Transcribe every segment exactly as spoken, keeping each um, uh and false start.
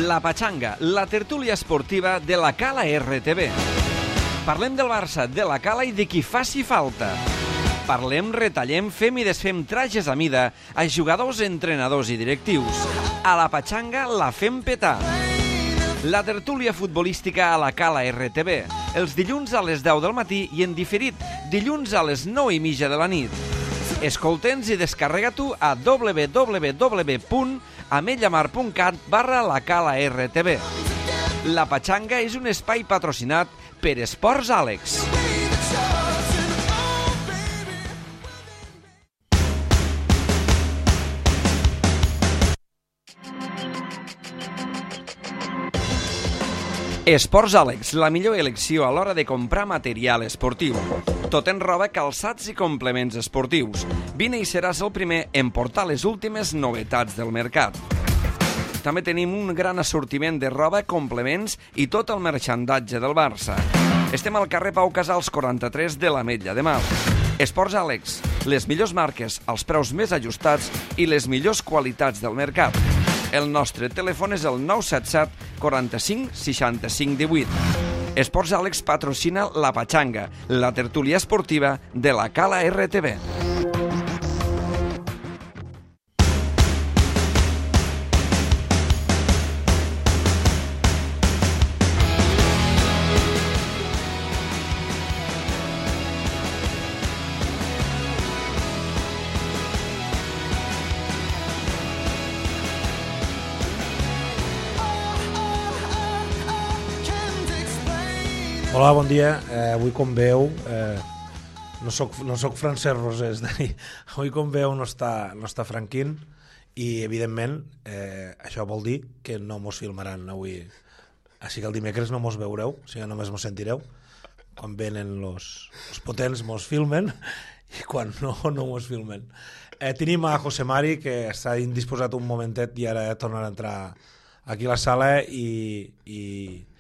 La Pachanga, la tertúlia esportiva de la Cala R T V. Parlem del Barça, de la Cala i de qui faci falta. Parlem, retallem, fem i desfem trajes a mida a jugadors, entrenadors i directius. A la Pachanga la fem petar. La tertúlia futbolística a la Cala R T V, els dilluns a les deu del matí i en diferit, dilluns a les nou i mitja de la nit. Escolta'ns i descarrega-t'ho a w w w punt ametlamar punt cat barra la Cala R T V. La Pachanga és un espai patrocinat per Esports Àlex. Esports Àlex, la millor elecció a l'hora de comprar material esportiu. Tot en roba, calçats i complements esportius. Vine i seràs el primer en portar les últimes novetats del mercat. També tenim un gran assortiment de roba, complements i tot el merchandatge del Barça. Estem al carrer Pau Casals quaranta-tres de l'Ametlla de Mar. Esports Àlex, les millors marques, els preus més ajustats i les millors qualitats del mercat. El nostre telèfon és el nou set set quaranta-cinc seixanta-cinc divuit. Esports Àlex patrocina la Pachanga, la tertúlia esportiva de la Cala R T V. Hola, bon dia. Eh, avui, com veu, eh, no soc, no soc Francesc Rosés. Avui, com veu, no està, no està Franquín i, evidentment, eh, això vol dir que no mos filmaran avui. Així que el dimecres no mos veureu, o sigui, només mos sentireu. Quan venen els potents mos filmen i quan no, no mos filmen. Eh, tenim a José Mari, que està indisposat un momentet i ara tornarà a entrar aquí a la sala i... i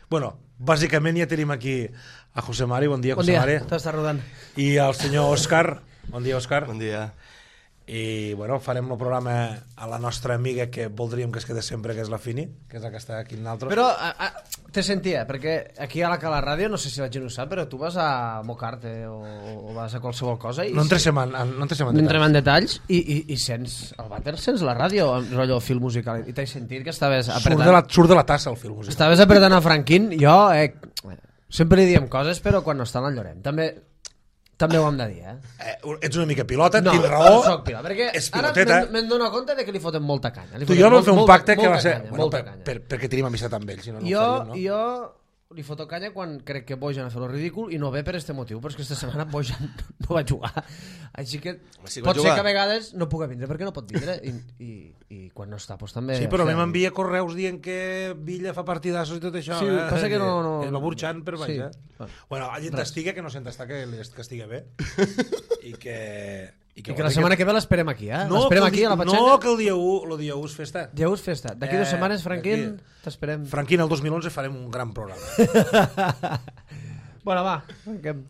bueno, bàsicament ja tenim aquí a José Mari. Bon dia, José Mari. Bon dia, t'estàs rodant. I al senyor Òscar. Bon dia, Òscar. Bon dia. I, bueno, farem el programa a la nostra amiga que voldríem que es quedés sempre, que és la Fini, que és la que està aquí amb nosaltres. Però a, a, te sentia, perquè aquí a la Cala Ràdio, no sé si la gent ho sap, però tu vas a Mocarte o, o vas a qualsevol cosa i... No entrem en, no entrem en detalls. Entrem en detalls i, i, i sents el vàter, sents la ràdio, el rotllo fil musical, i t'he sentit que estaves apretant... Surt de la, surt de la tassa el fil musical. Estaves apretant a Franquín, jo eh, sempre li diem coses, però quan no està en el Llorent. També... També ho hem de dir, eh? eh ets una mica pilota, no, tens raó. No, soc pilota, perquè ara me'n dono compte de que li foten molta canya. Tu i jo vam fer un molt, pacte que va ser... Canya, bueno, per, per, perquè tenim amistat amb ell, si no, no jo, ho faríem, no? Jo li foto canya quan crec que Bojan ha fet el ridícul i no ve per este motiu, però és que aquesta setmana Bojan no va jugar. Així que sí pot jugar. ser que a vegades no pugui vindre perquè no pot vindre i, i, i quan no està, doncs també... Sí, però a mi m'envia correus dient que Villa fa partidassos i tot això. Sí, eh? passa que no... no... El va burxant per baix, sí. eh? Bueno, allà t'estiga, que no sent estar, que, que estigui bé. I que... I que, I que la setmana que ve l'esperem aquí, eh? No, l'esperem aquí a la Pachanga. No, que el dia u, el dia u és festa. Dia u és festa. D'aquí eh, dues setmanes, Franquín, t'esperem. Franquín, el dos mil onze farem un gran programa. Bueno, va, arrenquem.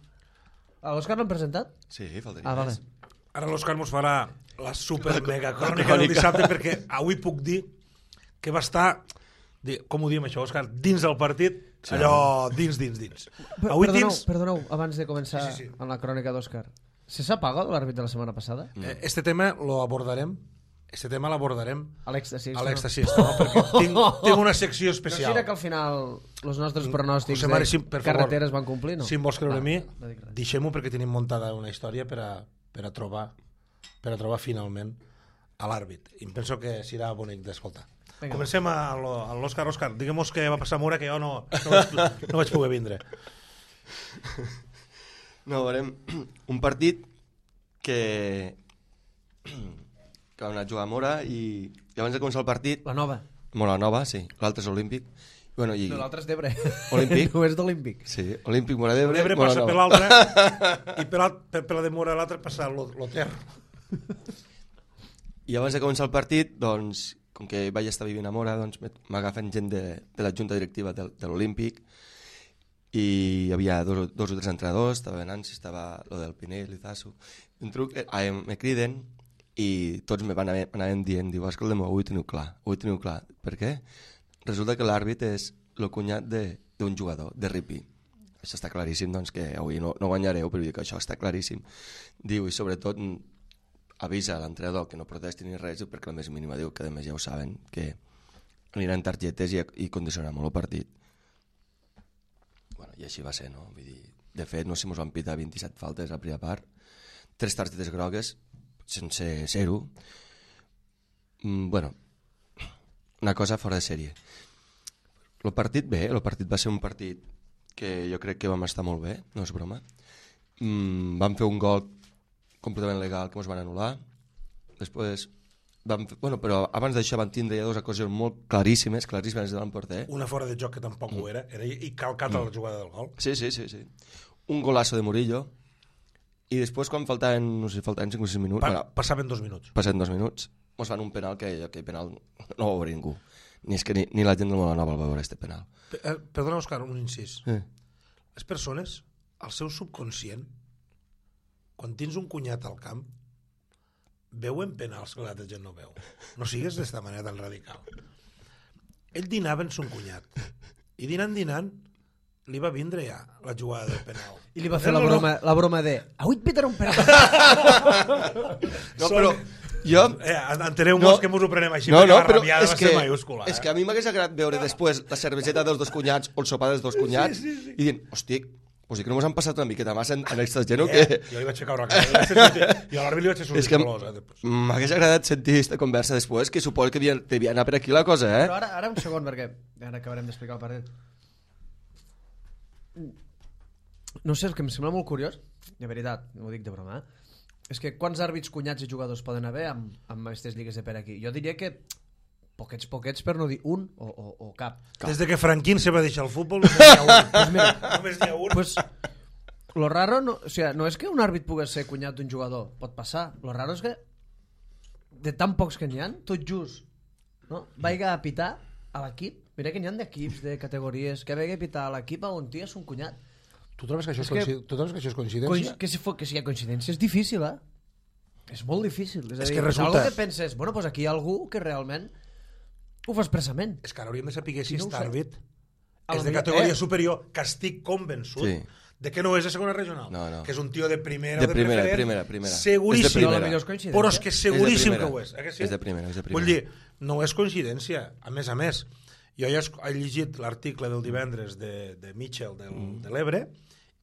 L'Òscar l'hem presentat? Sí, faltaria ah, vale. més. Ara l'Òscar mos farà la super mega crònica del dissabte, perquè avui puc dir que va estar, com ho diem això, Òscar, dins del partit, sí, allò dins, dins, dins. Avui perdoneu, dins... perdoneu, abans de començar sí, sí, sí. amb la crònica d'Òscar. ¿Se s'ha pagat l'àrbit de la setmana passada? Eh, este tema lo abordarem. Este tema l'abordarem a l'èxtasi. A l'èxtasi, no? Perquè tinc, tinc una secció especial. No serà que al final els nostres pronòstics José Mari, de sí, per carreteres favor, van complir, no? Si em vols creure ah, a mi, no deixem-ho perquè tenim muntada una història per a, per a trobar per a trobar finalment a l'àrbit. I em penso que serà bonic d'escoltar. Comencem a l'Òscar. Òscar, diguem-nos què va passar a Mura, que jo no, no, vaig, no vaig poder vindre. No, veurem un partit que que vam anar a jugar a Mora i, i abans de començar el partit... La nova. Mora nova, sí. L'altre és Olímpic. Bueno, i... No, l'altre és d'Ebre. Olímpic. No és d'Olímpic. Sí, Olímpic, Mora d'Ebre, L'Ebre Mora passa nova. per l'altre i per, per, per la de Mora l'altre passa l'Oter. I abans de començar el partit, doncs, com que vaig estar vivint a Mora, doncs m'agafen gent de, de la junta directiva de, de l'Olímpic i hi havia dos, dos o tres entrenadors, estava Nancy, estava lo del Pinell, Lizasso, un truc, eh, me criden i tots me van anaven dient, diu, escolta'm, ho he teniu clar, ho he teniu clar. Per què? resulta que l'àrbit és el cunyat d'un jugador, de Ripi. Això està claríssim, doncs, que avui no, no guanyareu, però dic que això està claríssim. Diu, i sobretot avisa a l'entrenador que no protesti ni res, perquè la més mínima diu que a més ja ho saben, que aniran targetes i, i condicionarà molt el partit. Bueno, i així va ser, no? Vull dir, de fet, no sé si mos van pitar vint-i-set faltes a la primera part, tres targetes grogues, sense zero. Mm, bueno, una cosa fora de sèrie. El partit bé, el partit va ser un partit que jo crec que vam estar molt bé, no és broma. Mm, vam fer un gol completament legal que ens van anul·lar. Després, vam fer, bueno, però abans d'això van tindre ja dues ocasions molt claríssimes, claríssimes davant porter. Una fora de joc que tampoc mm. ho era, era i calcat a la jugada del gol. Sí, sí, sí, sí. Un golazo de Murillo, i després quan faltaven, no sé, faltaven cinc o sis minuts... Pa bueno, passaven dos minuts. Passaven dos minuts, ens fan un penal que aquell penal no va veure ningú. Ni, és que ni, ni la gent del Molanova el va veure, este penal. P eh, perdona, Òscar, un incís. Eh. Les persones, al seu subconscient, quan tens un cunyat al camp, veuen penals que l'altra gent no veu. No sigues d'esta manera tan radical. Ell dinava en son cunyat. I dinant, dinant, li va vindre ja la jugada del penal. I li va fer la broma, la broma de avui et pitarà un penal. No, però jo... Eh, enteneu-vos no, que mos ho prenem així, no, perquè no, la rabiada va que, ser mayúscula. És eh? que a mi m'hagués agradat veure després la cerveseta dels dos cunyats o el sopar dels dos cunyats sí, sí, sí. i dient, hosti, pues que no mos han passat una miqueta massa en, en aquesta gent o eh, què? Jo li vaig fer caure a cara. Jo a l'àrbit li vaig fer sortir colors. Eh, m'hagués agradat sentir aquesta conversa després, que suposo que devia, devia anar per aquí la cosa, eh? Però ara, ara un segon, perquè ara acabarem d'explicar el partit. No sé, el que em sembla molt curiós, de veritat, no ho dic de broma, eh? És que quants àrbits, cunyats i jugadors poden haver amb, amb aquestes lligues de per aquí? Jo diria que poquets, poquets, per no dir un o, o, o cap. Des de que Franquín se va deixar el futbol, només n'hi ha un. Pues mira, només n'hi ha un. Pues, lo raro no, o sea, no és que un àrbit pugui ser cunyat d'un jugador, pot passar. Lo raro és que de tan pocs que n'hi ha, tot just, no? Vaiga a pitar a l'equip. Mira que n'hi ha d'equips, de categories, que vaiga a pitar a l'equip a un tio és un cunyat. Tu trobes que això és, és, que, tu trobes que això és coincidència? Que si, que si hi ha coincidència és difícil, eh? És molt difícil. És, és a dir, que resulta... és que penses, bueno, pues aquí hi ha algú que realment ho fa expressament. És que ara hauríem de saber si no aquest àrbit és de categoria eh? superior, que estic convençut sí. de que no és de segona regional, no, no. que és un tio de primera de o de primera, preferent, primera, primera. seguríssim, és de primera. però és que seguríssim és que ho és. Eh que sí? És de primera, és de primera. Vull dir, no és coincidència. A més a més, jo ja he llegit l'article del divendres de, de Mitchell del, mm. de l'Ebre,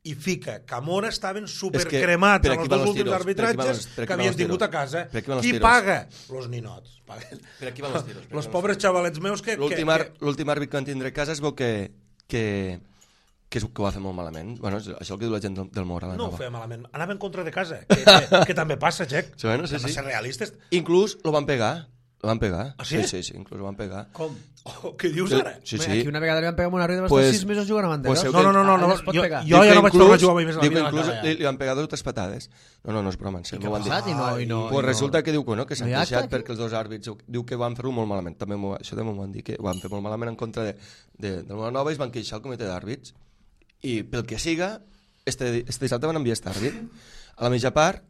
i fica que a Mora estaven supercremats amb els dos últims tiros, arbitratges que havien tingut a casa. Qui paga? Los ninots. Per aquí van els tiros. Els pobres xavalets meus que... L'últim àrbit que van tindre a casa es veu que, que, que, que ho va fer molt malament. Bueno, això és el que diu la gent del, del Mora. No ho feia malament. Anava en contra de casa. Que, que, que també passa, Jack. Sí, bueno, sí, sí. Ser realistes. Inclús lo van pegar. Lo van pegar. Ah, sí? Sí, sí, sí, inclús lo van pegar. Com? Oh, què dius ara? Sí, sí. Aquí una vegada li van pegar amb una rida, va pues, estar sis mesos jugant a Banderos. Pues, no, no, no, no, no. Jo, jo, jo ja no vaig tornar a jugar mai més a la vida. Diu que inclús li, li van pegar dues o tres patades. No, no, no és broma. I què ha passat? I no, i no, pues i no. resulta que diu que no, que s'han no queixat perquè els dos àrbits diu que van fer-ho molt malament. També això també m'ho van dir, que ho van fer molt malament en contra de, de, de Molanova i es van queixar al comitè d'àrbits. I pel que siga, este, este dissabte van enviar este àrbit. A la mitja part,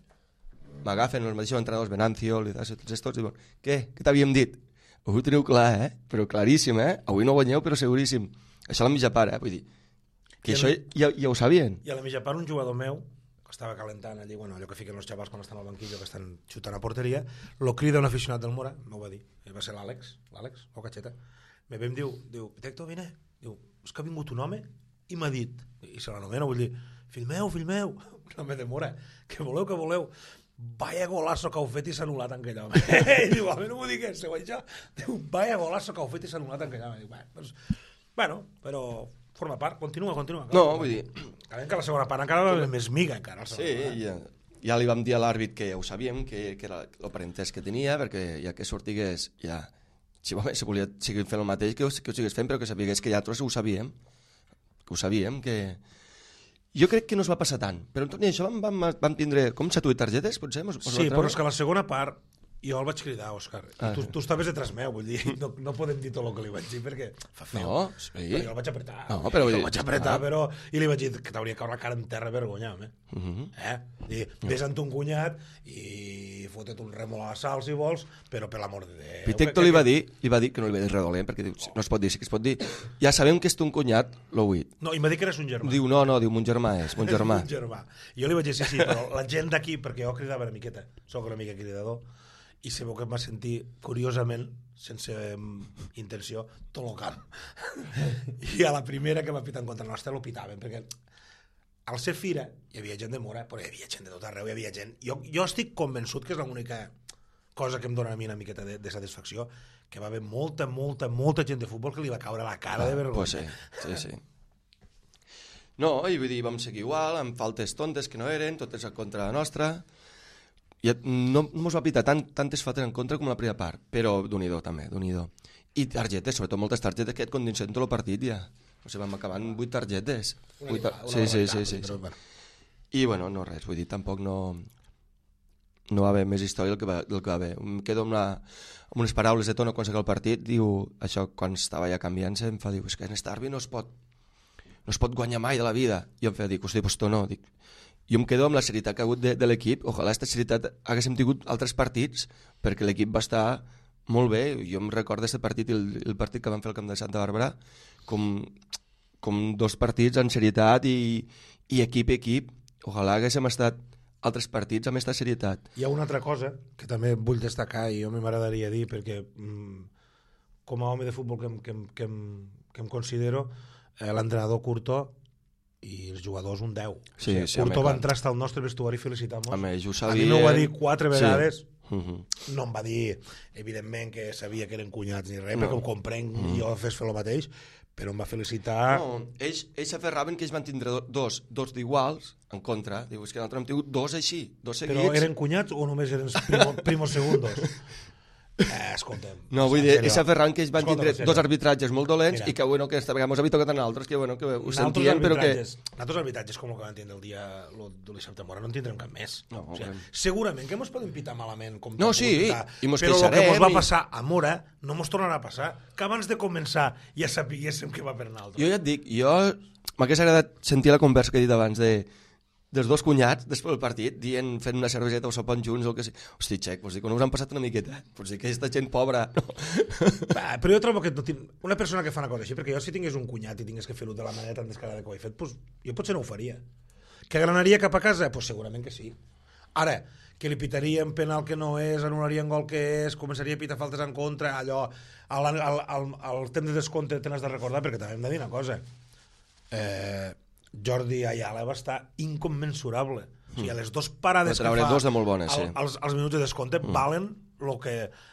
m'agafen els mateixos entrenadors, Venancio, Lidas, tots estos, i diuen, què? Què t'havíem dit? Ho teniu clar, eh? Però claríssim, eh? Avui no guanyeu, però seguríssim. Això a la mitja part, eh? Vull dir, que I això ja, ja ho sabien. I a la mitja part un jugador meu, que estava calentant allí, bueno, allò que fiquen els xavals quan estan al banquillo, que estan xutant a porteria, lo crida un aficionat del Mora, m'ho va dir, va ser l'Àlex, l'Àlex, o Cacheta. Me ve em diu, diu, Tecto, vine, diu, és que ha vingut un home i m'ha dit, i se l'anomena, vull dir, fill meu, fill meu, un home de Mora, que voleu, que voleu, vaya golazo que heu fet i s'ha anul·lat en aquell home. I diu, a mi no m'ho digues, següent això. Diu, vaya golazo que heu fet i s'ha anul·lat en aquell home. Diu, bueno, doncs, bueno, però forma part, continua, continua. No, vull dir... Acabem que la segona part encara va més miga, encara. Sí, ja, ja li vam dir a l'àrbit que ja ho sabíem, que, que era el parentès que tenia, perquè ja que sortigués, ja, si, si volia seguir fent el mateix, que ho, que ho sigués fent, però que sapigués que ja tots ho sabíem, que ho sabíem, que... Jo crec que no es va passar tant, però en tot i això vam, vam, vam tindre com set o vuit targetes, potser? Mos, mos sí, però és que la segona part jo el vaig cridar, Òscar. Ah, tu, sí. tu estaves detrás meu, vull dir, no, no podem dir tot el que li vaig dir perquè fa feo. No, sí. Però jo el vaig apretar. No, però el vaig apretar, ah. però... I li vaig dir que t'hauria caure la cara en terra vergonya, home. Uh -huh. Eh? Dir, ves amb ton cunyat i fotut un rèmol a la sal, si vols, però per l'amor de Déu... Pitecto li va dir, li va dir que no li va dir res dolent, perquè diu, no es pot dir, sí que es pot dir. Ja sabem que és ton cunyat, l'ho huit. No, i m'ha dit que eres un germà. Diu, no, no, diu, mon germà és, mon germà. un germà. Jo li vaig dir, sí, sí, però la gent d'aquí, perquè jo cridava una miqueta, soc una mica cridador, i sabeu que em va sentir, curiosament, sense intenció, tot el camp. I a la primera que va pitar en contra nostra, l'ho pitaven, perquè al ser fira hi havia gent de Mora, però hi havia gent de tot arreu, hi havia gent... Jo, jo estic convençut que és l'única cosa que em dona a mi una miqueta de, de satisfacció, que va haver molta, molta, molta gent de futbol que li va caure la cara ah, de vergonya. Pues sí, sí, sí. No, i vull dir, vam seguir igual, amb faltes tontes que no eren, totes en contra la nostra. I no mos va pitar tant, tantes faltes en contra com la primera part, però d'un-i-do també, d'un-i-do. I targetes, sobretot moltes targetes que et condicen tot el partit ja. O sigui, vam acabar amb vuit targetes. Una Vuit tar... una sí, sí, sí, sí, però, sí. bueno. I, bueno, no res, vull dir, tampoc no... No va haver més història del que va, del que va haver. Em quedo amb, la, amb unes paraules de Tono quan s'acaba el partit, diu, això, quan estava ja canviant-se, em fa dir, és que en Starby no es pot no es pot guanyar mai de la vida. I em fa dir, hosti, pues Tono, dic, jo em quedo amb la serietat que ha hagut de, de l'equip, ojalà aquesta serietat haguéssim tingut altres partits, perquè l'equip va estar molt bé. Jo em recordo aquest partit i el, el partit que vam fer al camp de Santa Bàrbara com, com dos partits en serietat i, i equip equip. Ojalà haguéssim estat altres partits amb aquesta serietat. Hi ha una altra cosa que també vull destacar i jo m'agradaria dir perquè mm, com a home de futbol que, em, que, em, que, em, que em considero eh, l'entrenador Curto i els jugadors un deu. Sí, o sigui, sí, Curto home, va entrar al nostre vestuari i felicitar-nos. A mi, a mi m'ho va dir quatre vegades. Sí. Uh-huh. No em va dir, evidentment, que sabia que eren cunyats ni res, No. perquè ho comprenc, uh-huh. jo fes fer el mateix, però em va felicitar... No, ells, ells s'aferraven que ells van tindre dos, dos d'iguals en contra. Diu, és que nosaltres hem tingut dos així, dos seguits. Però eren cunyats o només eren primo, primos segundos? Eh, escolta'm. No, vull dir, ells s'aferraven que ells van Escolta'm, tindre dos arbitratges molt dolents. Mira. I que, bueno, que esta vegada mos habita que tant altres, que, bueno, que ho Nosaltres sentien, però que... Nosaltres arbitratges com el que van tindre el dia lo, de l'Issabte Mora no en tindrem cap més. No, o sigui, okay. segurament que mos poden pitar malament com No, t'han sí, pogut pitar, i mos però el que queixarem mos va i- passar a Mora no mos tornarà a passar, que abans de començar ja sapiguéssim que va per nosaltres. Jo ja et dic, jo m'hagués agradat sentir la conversa que he dit abans de dels dos cunyats, després del partit, dient, fent una cerveseta o sopant junts o el que sigui. Hosti, xec, vols dir que no us han passat una miqueta? Vols dir que aquesta gent pobra... No. Va, però jo trobo que no tinc... una persona que fa una cosa així, perquè jo si tingués un cunyat i tingués que fer-ho de la manera tan descarada que ho he fet, pues, jo potser no ho faria. Que granaria cap a casa? Pues segurament que sí. Ara, que li pitaríem penal que no és, anul·larien gol que és, començaria a pitar faltes en contra, allò, al, al, al, al temps de descompte te n'has de recordar, perquè també hem de dir una cosa. Eh, Jordi Ayala va estar incommensurable. O sigui, les dues parades que fa dos de molt bones, sí. als, als minuts de descompte mm. valen el que...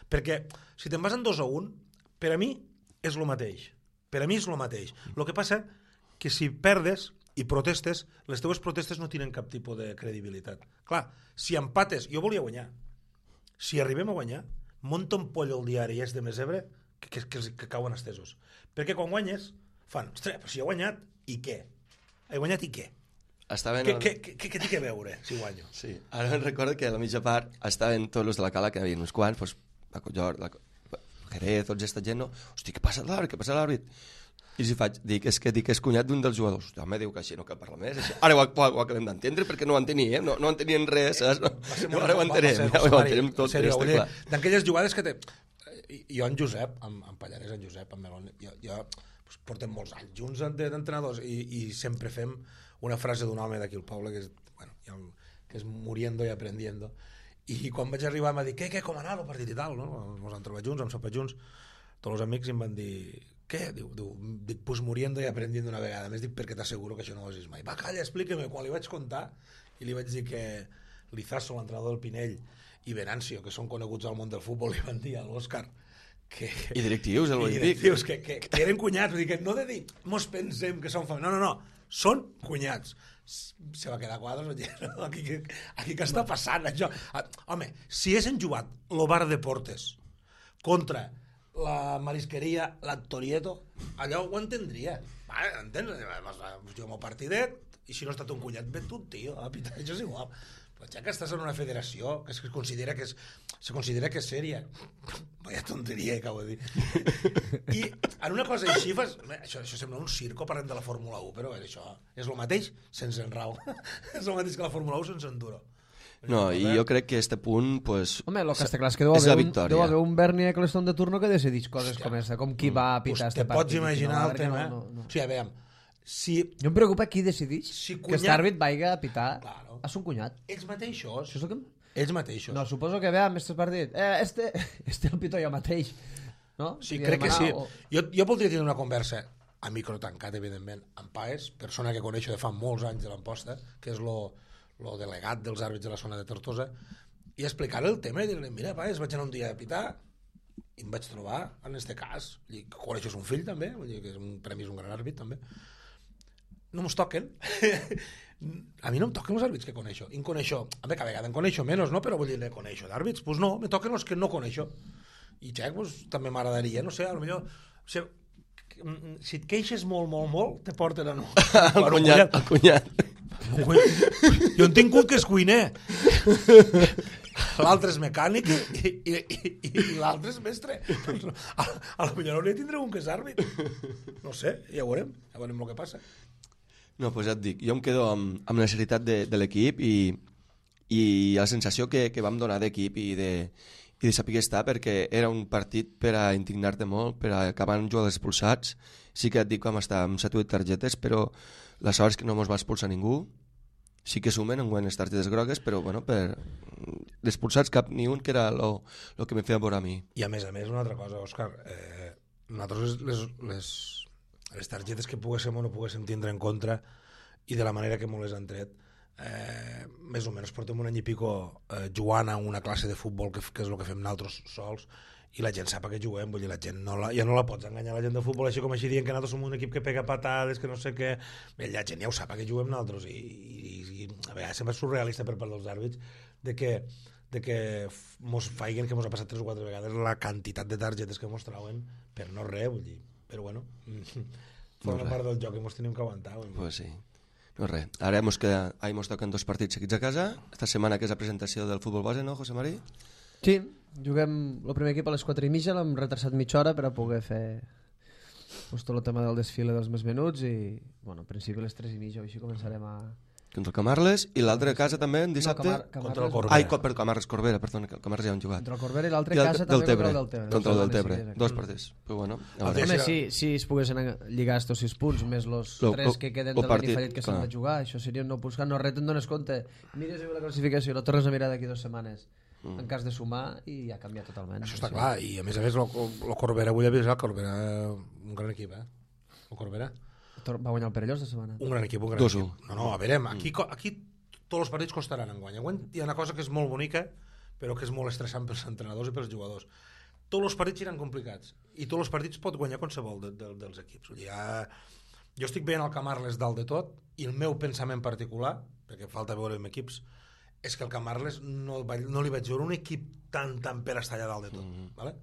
Perquè si te'n vas en dos a un, per a mi és el mateix. Per a mi és el mateix. El que passa que si perdes i protestes, les teves protestes no tenen cap tipus de credibilitat. Clar, si empates... Jo volia guanyar. Si arribem a guanyar, monta un pollo al diari és de Mesebre que, que, que, que cauen estesos. Perquè quan guanyes, fan, ostres, però si he guanyat, i què? He guanyat i què? Estaven Què, el... què, què, què té a veure si guanyo? Sí, ara me'n recordo que a la mitja part estaven tots els de la cala, que hi havia uns quants, doncs, la Collor, la Jerez, tots aquesta gent, no? Hosti, què passa a l'àrbit? Què passa a l'àrbit? I si faig, dic, és que dic, és cunyat d'un dels jugadors. Home, diu que així no cal parlar més. Així. Ara ho, ho, ho acabem d'entendre perquè no ho enteníem, no, no entenien res, saps? No, no, ara ho entenem, ja ho entenem tot. D'aquelles jugades que té... Jo, en Josep, en, en Pallarès, en Josep, en Melón, jo, jo doncs, portem molts anys junts d'entrenadors i, i sempre fem una frase d'un home d'aquí al poble que és, bueno, el, que és muriendo y aprendiendo. I quan vaig arribar m'ha dit, què, què, com ha anat el partit i tal, no? Ens han trobat junts, hem sopat junts, tots els amics i em van dir, què? Diu, diu, dic, pues muriendo y aprendiendo una vegada. A més dic, perquè t'asseguro que això no ho has vist mai. Va, calla, explica-me. Quan li vaig contar i li vaig dir que Lizaso, l'entrenador del Pinell, i Venancio, que són coneguts al món del futbol, li van dir a l'Òscar que... I directius, el I directius, que, que, que eren cunyats. Vull dir, que no de dir, mos pensem que són família. No, no, no. Són cunyats. Se va quedar a quadres, aquí, aquí què està passant això? Home, si haguessin jugat el bar de Portes contra la marisqueria l'Actorieto, allò ho entendria. Vale, entens? Juguem un partidet i si no ha estat un cunyat, vet tu, tio, a pitar, això és igual. Però ja que estàs en una federació que es considera que és, se considera que és sèria, vaya tonteria, acabo de dir. I en una cosa així fas... Això, això sembla un circo, parlem de la Fórmula u, però això és el mateix sense enrau. És el mateix que la Fórmula u sense enduro. No, i jo crec que este punt, pues, Home, lo que està clar és que deu és la haver, un, victòria. deu haver un Bernie Eccleston de turno que decideix coses com aquesta, com qui va a pitar Pues este te pots partit. imaginar No, el tema. no, no, no. O sigui, a veure, si Jo em preocupa qui decideix Si que cunyat- aquest àrbit vagi a pitar Claro. a son cunyat. ells mateixos, Això és el que... ells mateixos, No, suposo que veam este partit. Eh, este, este el pito jo mateix. No? sí, Li crec que sí. demanar, o- Jo, jo voldria tenir una conversa a micro tancat, evidentment, amb Paes, persona que coneixo de fa molts anys de l'Amposta, que és lo, lo delegat dels àrbits de la zona de Tortosa, i explicar el tema i dir-li, mira, Paes, vaig anar un dia a pitar i em vaig trobar, en este cas, i que coneixes un fill també, vull dir que és un premi, és un gran àrbit també, no mos toquen. A mi no em toquen els àrbits que coneixo. I en coneixo, a veure, cada vegada en coneixo menys, no? Però vull dir, ne coneixo d'àrbits. Doncs pues no, me toquen els que no coneixo. I xec, pues, també m'agradaria, no sé, a lo millor... O sigui, si et queixes molt, molt, molt, te porten a no. El cunyat, el cunyat. Jo en tinc un que és cuiner. L'altre és mecànic i, i, i, i l'altre és mestre. A, a la millor hauria de tindre un que és àrbit. No sé, ja ho veurem. Ja veurem el que passa. No, doncs ja et dic, jo em quedo amb, amb la necessitat de, de l'equip i, i la sensació que, que vam donar d'equip i de, i de saber estar, perquè era un partit per a indignar-te molt, per a acabar amb jugadors expulsats. Sí que et dic que vam estar amb set o vuit targetes, però la sort és que no mos va expulsar ningú. Sí que sumen en les targetes grogues, però bueno, per d'expulsats cap ni un, que era el que me feia veure a mi. I a més a més, una altra cosa, Òscar, eh, nosaltres les, les, les targetes que poguéssim o no poguéssim tindre en contra i de la manera que m'ho les han tret, eh, més o menys portem un any i pico eh, jugant a una classe de futbol que, que és el que fem nosaltres sols, i la gent sap que juguem, vull dir, la gent no la, ja no la pots enganyar, la gent de futbol així com així dient que nosaltres som un equip que pega patades, que no sé què, bé, la gent ja ho sap que juguem nosaltres, i, i, i a vegades sembla surrealista per part dels àrbits de que, de que mos faiguen, que mos ha passat tres o quatre vegades la quantitat de targetes que mos trauen per no res, vull dir, però bueno, forma part del joc i mos tenim que aguantar. Vull dir. Pues sí. No res. Ara mos, queda, ahir mos toquen dos partits seguits a casa. Esta setmana que és la presentació del futbol base, no, José Marí? Sí, juguem el primer equip a les quatre i mitja, l'hem retrasat mitja hora per a poder fer pues, tot el tema del desfile dels més menuts i, bueno, en principi a les tres i mitja, així començarem a... Contra el Camarles, i l'altre casa també, en dissabte? No, Camar Camarles, Contra el Corbera. Ai, co- per Camarles Corbera, perdona, que el Camarles ja han jugat. Contra el Corbera i l'altre I el casa del també Tebre, contra el Deltebre. contra el del Sí, Tebre. sí, sí. Dos partits. Però bueno, a El veure. Home, Sí, si, si es poguessin lligar estos sis punts més els Lo- tres lo- que queden lo del partit, Benifallet que s'han clar. de jugar, això seria nou punts. No res, te'n dones compte. Mires la classificació, la tornes a mirar d'aquí dues setmanes mm. en cas de sumar i ja canvia totalment. Això està Sí. clar, i a més a més el Corbera, vull avisar, el Corbera, un gran equip, eh? El Corbera. Tor- Va guanyar el Perellós de setmana. Un gran equip, un gran dos u. equip. No, no, a veure, aquí, co- aquí tots els partits costaran en guany. Enguany hi ha una cosa que és molt bonica, però que és molt estressant pels entrenadors i pels jugadors. Tots els partits seran complicats i tots els partits pot guanyar qualsevol de, de, dels equips. Vull dir, ja... Jo estic veient el Camarles dalt de tot i el meu pensament particular, perquè falta veure amb equips, és que el Camarles no, va- no li vaig veure un equip tan, tan per estar allà dalt de tot. Mm-hmm. Vale?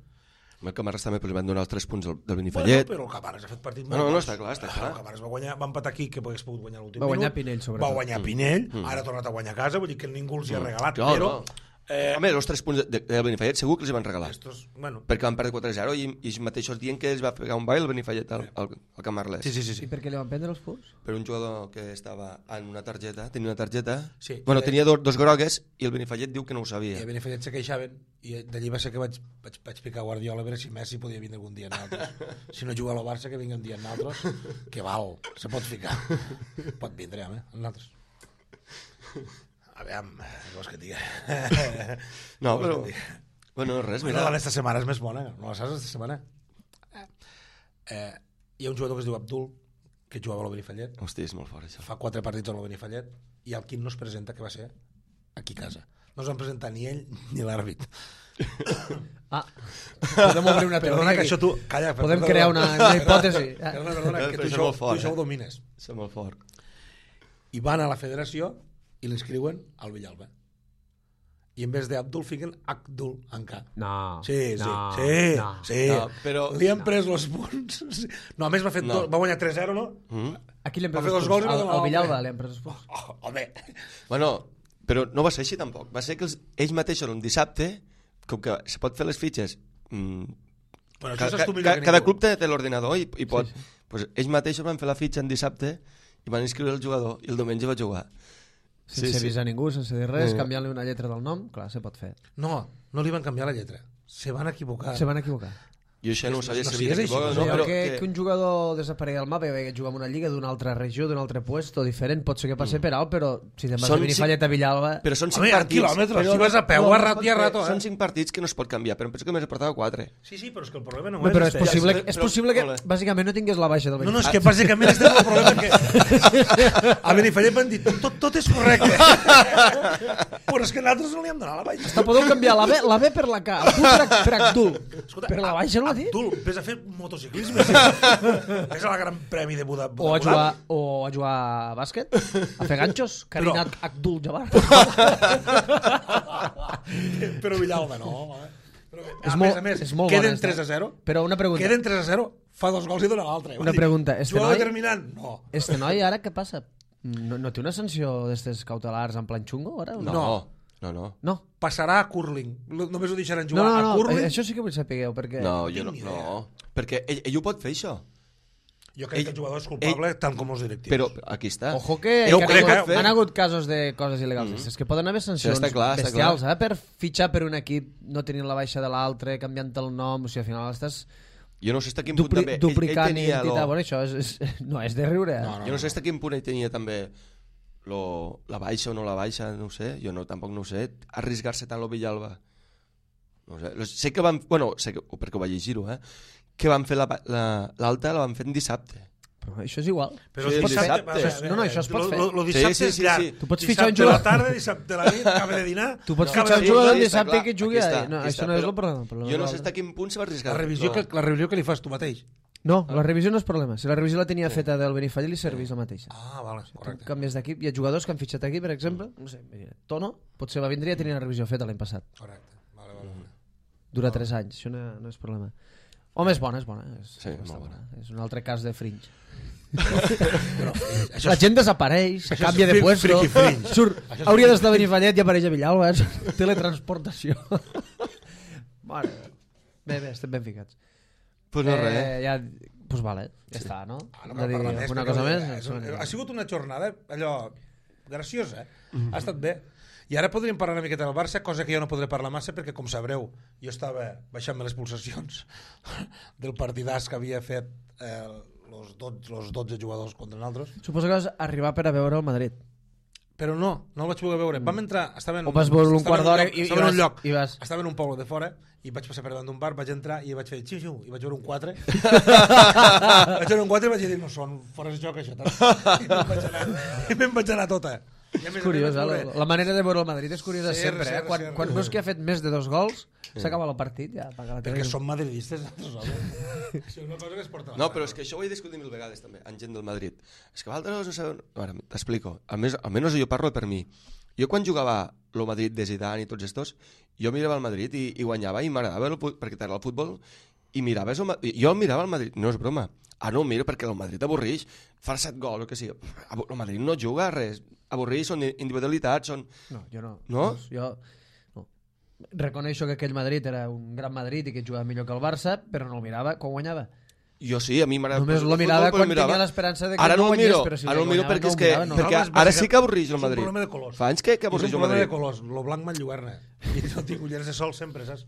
El Camarles també li van donar els tres punts del, del Bueno, Benifallet. però el Camarles ha fet partit No, molt no, no, bons. està clar, està Ah, clar. El Camarles va, guanyar, va empatar aquí, que hagués pogut guanyar l'últim Va guanyar minut. Pinell, sobretot. Va guanyar Pinell, Mm. ara ha tornat a guanyar a casa, vull dir que ningú els hi ha regalat, Clar, però... no. Eh, Home, els tres punts de- del Benifallet segur que els hi van regalar. estos, bueno, Perquè van perdre quatre a zero i, i ells mateixos dient que ells va pegar un ball el Benifallet al, al, al Camarles. sí, sí, sí. I sí. per què li van prendre els punts? Per un jugador que estava en una targeta, tenia una targeta, Sí, bueno, i- tenia dos, dos grogues i el Benifallet diu que no ho I sabia. a Benifallet se queixaven i d'allí va ser que vaig, vaig, vaig picar Guardiola a veure si Messi podia vindre algun dia en altres. Si no juga a la Barça, que vingui un dia en altres, que val, se pot ficar. Pot vindre, home, en altres. A veure, què vols que et digui? No, Què vols però... que et digui? Bueno, res, Mira, mira. la d'esta setmana és més bona, no la saps, esta setmana? Eh, hi ha un jugador que es diu Abdul, que jugava a l'Obenifallet, Hosti, és molt fort, això. fa quatre partits a l'Obenifallet, i el quin no es presenta, que va ser aquí a casa. No es van presentar ni ell ni l'àrbit. Ah, podem obrir una teoria Perdona que aquí. això tu... Calla, Podem perdona, crear una, una hipòtesi. Ah. Perdona, perdona, que tu Això és això, molt fort, tu això eh? ho domines. És molt fort. I van a la federació i l'inscriuen al Villalba. I en vez d'Abdul fiquen Abdul en K. No, Sí, sí, no, sí, no. sí. No, però- Li han pres els punts. Sí. No, a més va, fet No. dos, va guanyar tres a zero, no? Mm? Aquí li hem Va pres fer els dos gols punts. i va Al, donar al Villalba l'altre. li hem pres els punts. Oh, home. Bueno, però no va ser així tampoc. Va ser que els, ells mateixos un dissabte, com que se pot fer les fitxes, mm, Bueno, ca, això ca, saps tu millor ca, que cada ningú. club té, té l'ordinador i, i pot... Sí, Pues ells mateixos van fer la fitxa en dissabte i van inscriure el jugador i el diumenge va jugar. Sense Sí, sí. avisar ningú, sense dir res, Mm. canviant-li una lletra del nom, clar, se pot fer. No, no li van canviar la lletra. Se van equivocar. Se van equivocar. Jo això no ho sabia No si sigues havia així, equivocat No, o no, però... que, que- que un jugador desaparegui del mapa i que juga en una lliga d'una altra regió, d'un altre puesto diferent, pot ser que passi per alt, però si te'n vas Són a Benifallet a Villalba... Però són cinc Home, hi ha partits. quilòmetres, però si vas a peu, no, a no rato pot i a fer. rato, Són eh? cinc partits que no es pot canviar, però em penso que més he portat quatre. Sí, sí, però és que el problema no Home, és... però és este. possible, Ja, és però- possible que, molt bé. bàsicament, no tingués la baixa del No, no, és Benifallet. que bàsicament este és el problema que... A Benifallet van dir, tot, tot és correcte. Però és que nosaltres no li hem donat la baixa. Hasta podeu canviar la B, la B per la K, Abdul per, per Abdul. Escolta, Per la baixa no la dit? Abdul, vés a fer motociclisme. Sí. Vés a la Gran Premi de Buda. O a jugar, o a jugar a bàsquet, a fer ganxos, Karinat Abdul Jabbar. Però Villalba no, home. Però, És a molt- més a més, és molt queden bona, esta. tres a zero. Però una pregunta. Queden tres a zero, fa dos gols i dona l'altre. Una pregunta, este Jugador noi- determinant? No. Este noi ara què passa? No, no té una sanció d'estes cautelars en plan xungo ara? o No, No. no, no. No. Passarà a curling. Lo- Només ho deixaran No, jugar no, a no, curling. això sí que vull saber, perquè... No, jo no, tinc ni no. Perquè ell, ell ho pot fer, això. Jo crec ell- que el jugador és culpable tant com els directius. Però aquí està. Ojo que, Jo que crec, han, hagut, eh? han hagut casos de coses il·legals. Mm -hmm. És que poden haver sancions Sí, està clar, està bestials, eh? Per fitxar per un equip no tenint la baixa de l'altre, canviant el nom, o sigui, al final estàs Jo no sé fins a quin punt dupli també... ell- duplicant ell tenia identitat. lo- Bueno, això és, és, no, és de riure. Eh? No, no. Jo no sé fins a quin punt ell tenia també lo, la baixa o no la baixa, no ho sé, jo no, tampoc no ho sé, arriesgar-se tant lo Villalba. No ho sé, Lo- sé que van, bueno, sé que, perquè ho vaig llegir-ho, eh, que van fer l'alta, la, l'alta la van fer en dissabte. Però això és igual. Però Sí, es pot dissabte. fer... a veure, Això- no, no, això es pot lo- fer. Lo, lo dissabte Sí, sí, és sí, llarg. sí. Tu pots Dissabte fitxar un a la jugador- tarda, dissabte a la nit, acaba de dinar... Tu pots No, fitxar un sí, jugador sí, el està dissabte clar, que jugui... aquí està, No, aquí això està, no és però el problema. El problema Jo no és sé l'altre. fins a quin punt se va arriscar. La revisió, que, la revisió que li fas tu mateix. No, la revisió no és problema. Si la revisió la tenia feta del Benifallet, li serveix la mateixa. Ah, vale, Tu correcte. canvies d'equip. Hi ha jugadors que han fitxat aquí, per exemple, no sé, mira, Tono, potser va vindre i ja tenia una revisió feta l'any passat. Correcte. Vale, vale, vale. Dura tres anys, això no, no és problema. Home, és bona, és bona. És, Sí, està molt bona. És un altre cas de fringe. Però, eh, això La és... gent desapareix, se això és canvia de fri- puesto, friki fringe. surt, Això és hauria friki d'estar a Benifallet i apareix a Villalba, és teletransportació. Mare, bé, bé, estem ben ficats. Pues no, res. Eh, ja, pues vale, ja està, no? Ah, no Hem de cal dir parlar més, alguna perquè, cosa eh, més? és un- Ha sigut una jornada allò graciosa, eh? Mhm. Ha estat bé. I ara podríem parlar una miqueta del Barça, cosa que jo no podré parlar massa perquè, com sabreu, jo estava baixant-me les pulsacions del partidàs que havia fet eh, los, dotze, los dotze jugadors contra nosaltres. Suposo que vas arribar per a veure el Madrid. Però no, no el vaig poder veure. Vam entrar... Estava en, O vas veure un estava quart en un d'hora lloc- i- i estava en vas- un lloc. i vas- Estava en un poble de fora i vaig passar per davant d'un bar, vaig entrar i vaig fer xiu-xiu i vaig veure un quatre. Vaig veure un quatre i vaig dir, no són fora de joc això. Tal. I me'n vaig anar, i me'n vaig anar tota. I a més És a curiós, més eh? vaig La, veure- la manera de veure el Madrid és curiosa Sí, sempre, sí, eh? Quan, sí, quan sí. veus que ha fet més de dos gols, s'acaba el partit, ja apaga la tele. Perquè som madridistes nosaltres, home. Això és una cosa que es porta a la No, sang. però és que això ho he discutit mil vegades també, amb gent del Madrid. És que vosaltres no sabeu... Ara, t'explico. Almenys, almenys jo parlo per mi. Jo quan jugava el Madrid de Zidane i tots estos, jo mirava el Madrid i, i guanyava i m'agradava el fu- perquè t'agrada el futbol i miraves el, Ma- jo mirava el Madrid, no és broma. Ah, no, miro perquè el Madrid avorreix, fa set gols o que sigui. El Madrid no juga a res, avorreix, són individualitats, són... No, jo no. No? Jo no. Reconeixo que aquell Madrid era un gran Madrid i que jugava millor que el Barça, però no el mirava quan guanyava. Jo sí, a mi m'agrada... Només el lo mirava futbol, però quan mirava. tenia l'esperança de que Ara no no el guanyés, miro, però si ara no el el miro guanyava, perquè no és ho que, mirava, no. perquè No, és ara bàsica- sí que avorreix el És un Madrid. problema de colors. Fa anys que, que És un avorreix el problema de Madrid. colors. Lo blanc m'enlluerna. I no tinc ulleres de sol sempre, saps?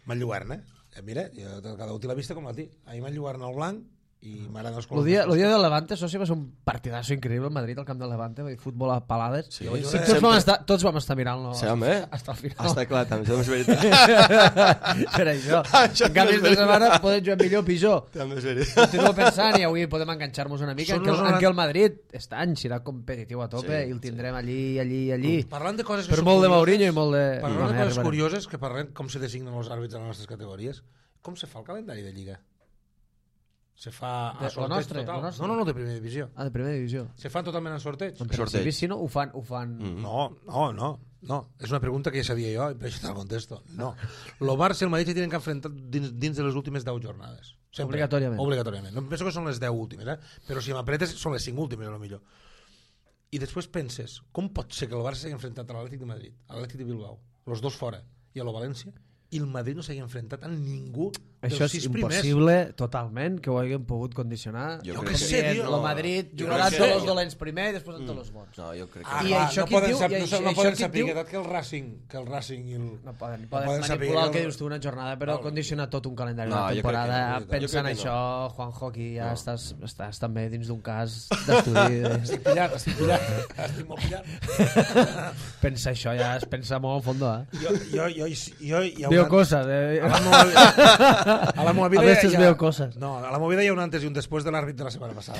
M'enlluerna. Eh, Mira, jo, cada un té la vista com la té. A mi m'enlluerna el blanc i m'agrada els El colors. dia, el dia del Levante, soci, va ser un partidazo increïble al Madrid, al camp del Levante, va dir futbol a palades. Sí, I sí, tots, vam estar, tots vam estar mirant-lo Sí, home. hasta el final. Està clar, també, això és veritat. Per això. Això En canvi, no és esta setmana podem jugar millor o pitjor. També és veritat. Continuo pensant i avui podem enganxar-nos una mica Són en que, los en noranta- que el Madrid està any, serà competitiu a tope Sí, i el tindrem allí, allí, allí. Parlant de coses que Per són molt de curioses- Mourinho i molt de... Parlant Bueno, de ja coses arribarem. curioses, que parlem com se designen els àrbits a les nostres categories, com se fa el calendari de Lliga? Se fa De- a la sorteig nostra, total? la nostra. No, no, no, de primera divisió. Ah, de primera divisió. Se fan totalment en sorteig? En Sorteig. principi, si no, ho fan... Ho fan... Mm. No, no, no. No, és una pregunta que ja sabia jo, i per això te'l contesto. No. Lo Barça i el Madrid se tenen que enfrentar dins, dins de les últimes deu jornades. Sempre. Obligatòriament. Obligatòriament. No penso que són les deu últimes, eh? Però si m'apretes són les cinc últimes, a lo millor. I després penses, com pot ser que el Barça s'hagi enfrentat a l'Atlètic de Madrid, a l'Atlètic de Bilbao, los dos fora, i a lo València, i el Madrid no s'hagi enfrentat a ningú Això és impossible, primers. Totalment, que ho haguem pogut condicionar. Jo Jo crec què que sé, El tio. Madrid Jo jugarà crec que- tots els dolents primer i després tots els bons. No, jo crec que... Ah, I clar, això no qui et poden diu- sap- i no, això- no això poden qui et saber diu- que el Racing, que el Racing i el... No poden, No poden poden saber manipular el que que el- dius tu una jornada, però No. condicionar tot un calendari No, d'una jo crec que temporada. no, jo crec Pensa en que això, no. Juanjo, aquí ja No. estàs, estàs també dins d'un cas d'estudi. Estic pillat, estic pillat. Estic molt pillat. Pensa això, ja es pensa molt en fondo, eh? Jo, jo, jo, jo, hi ha Veo una... coses, eh? A la meva vida, a la meva vida A veces hi ha... veo cosas. No, a la meva vida hi ha un antes i un després de l'àrbit de la setmana passada.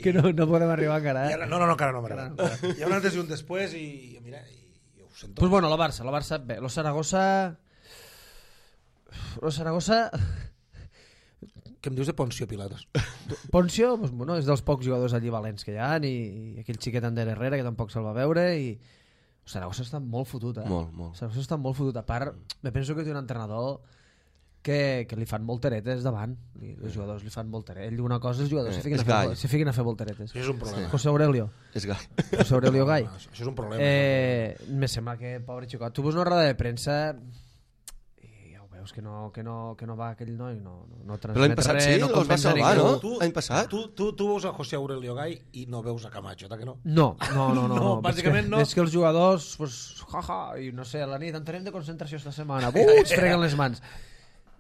que no, no podem arribar encara, I eh? ara, no, no, no, encara no m'agrada. Hi ha un antes i un després i, i mira, i, i ho sento. Pues bueno, la Barça, la Barça, bé, lo Saragossa... Lo Saragossa... Què em dius de Poncio Pilatos? Poncio, pues, bueno, és dels pocs jugadors allí valents que hi ha, i, i aquell xiquet Ander Herrera, que tampoc se'l va veure, i... El Saragossa està molt fotut, eh? Molt, molt. El Saragossa està molt fotut. A part, me penso que té un entrenador que, que li fan volteretes davant. Li, els jugadors li fan volteretes. Ell diu una cosa, els jugadors Eh, se fiquen, és a fer, gai. se fiquen a fer volteretes. Això és un problema. José Aurelio. És gai. José Aurelio Gai. No, això, això és un problema. Eh, me sembla que, pobre xicot, tu veus una roda de premsa i ja ho veus que no, que no, que no va aquell noi, no, no, no Però l'any transmet passat res, sí, no els va compensa salvar, ningú. no? L'any passat? Tu, tu, tu veus a José Aurelio Gai i no veus a Camacho, ta que no? No, no, no, no, No, no. bàsicament és que, no. És que els jugadors, pues, jaja, i no sé, a la nit entenem de concentració esta setmana, uh, es freguen les mans.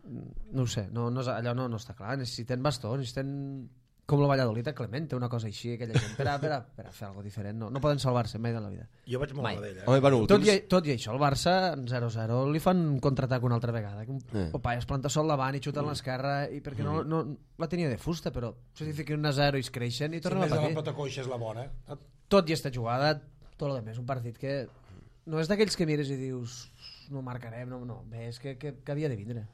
No ho sé, no, no, és- allò no, no està clar, necessiten bastó, necessiten com el Valladolid a Clemente, una cosa així, aquella gent, per a, per a, per a fer alguna diferent, no, no poden salvar-se mai de la vida. Jo vaig molt Mai. a d'ell, eh? Home, van Tot últims. i, tot i això, el Barça, en zero zero, li fan un contraatac una altra vegada. Que un Eh. Opa, es planta sol davant i xuta a l'esquerra, i perquè no, no, la tenia de fusta, però se li fiquen un a zero i es creixen i Si tornen més a de la patir. pota coixa és la bona. Eh? Tot i esta jugada, tot el més, un partit que no és d'aquells que mires i dius no marcarem, no, no, bé, és que, que, que havia de vindre.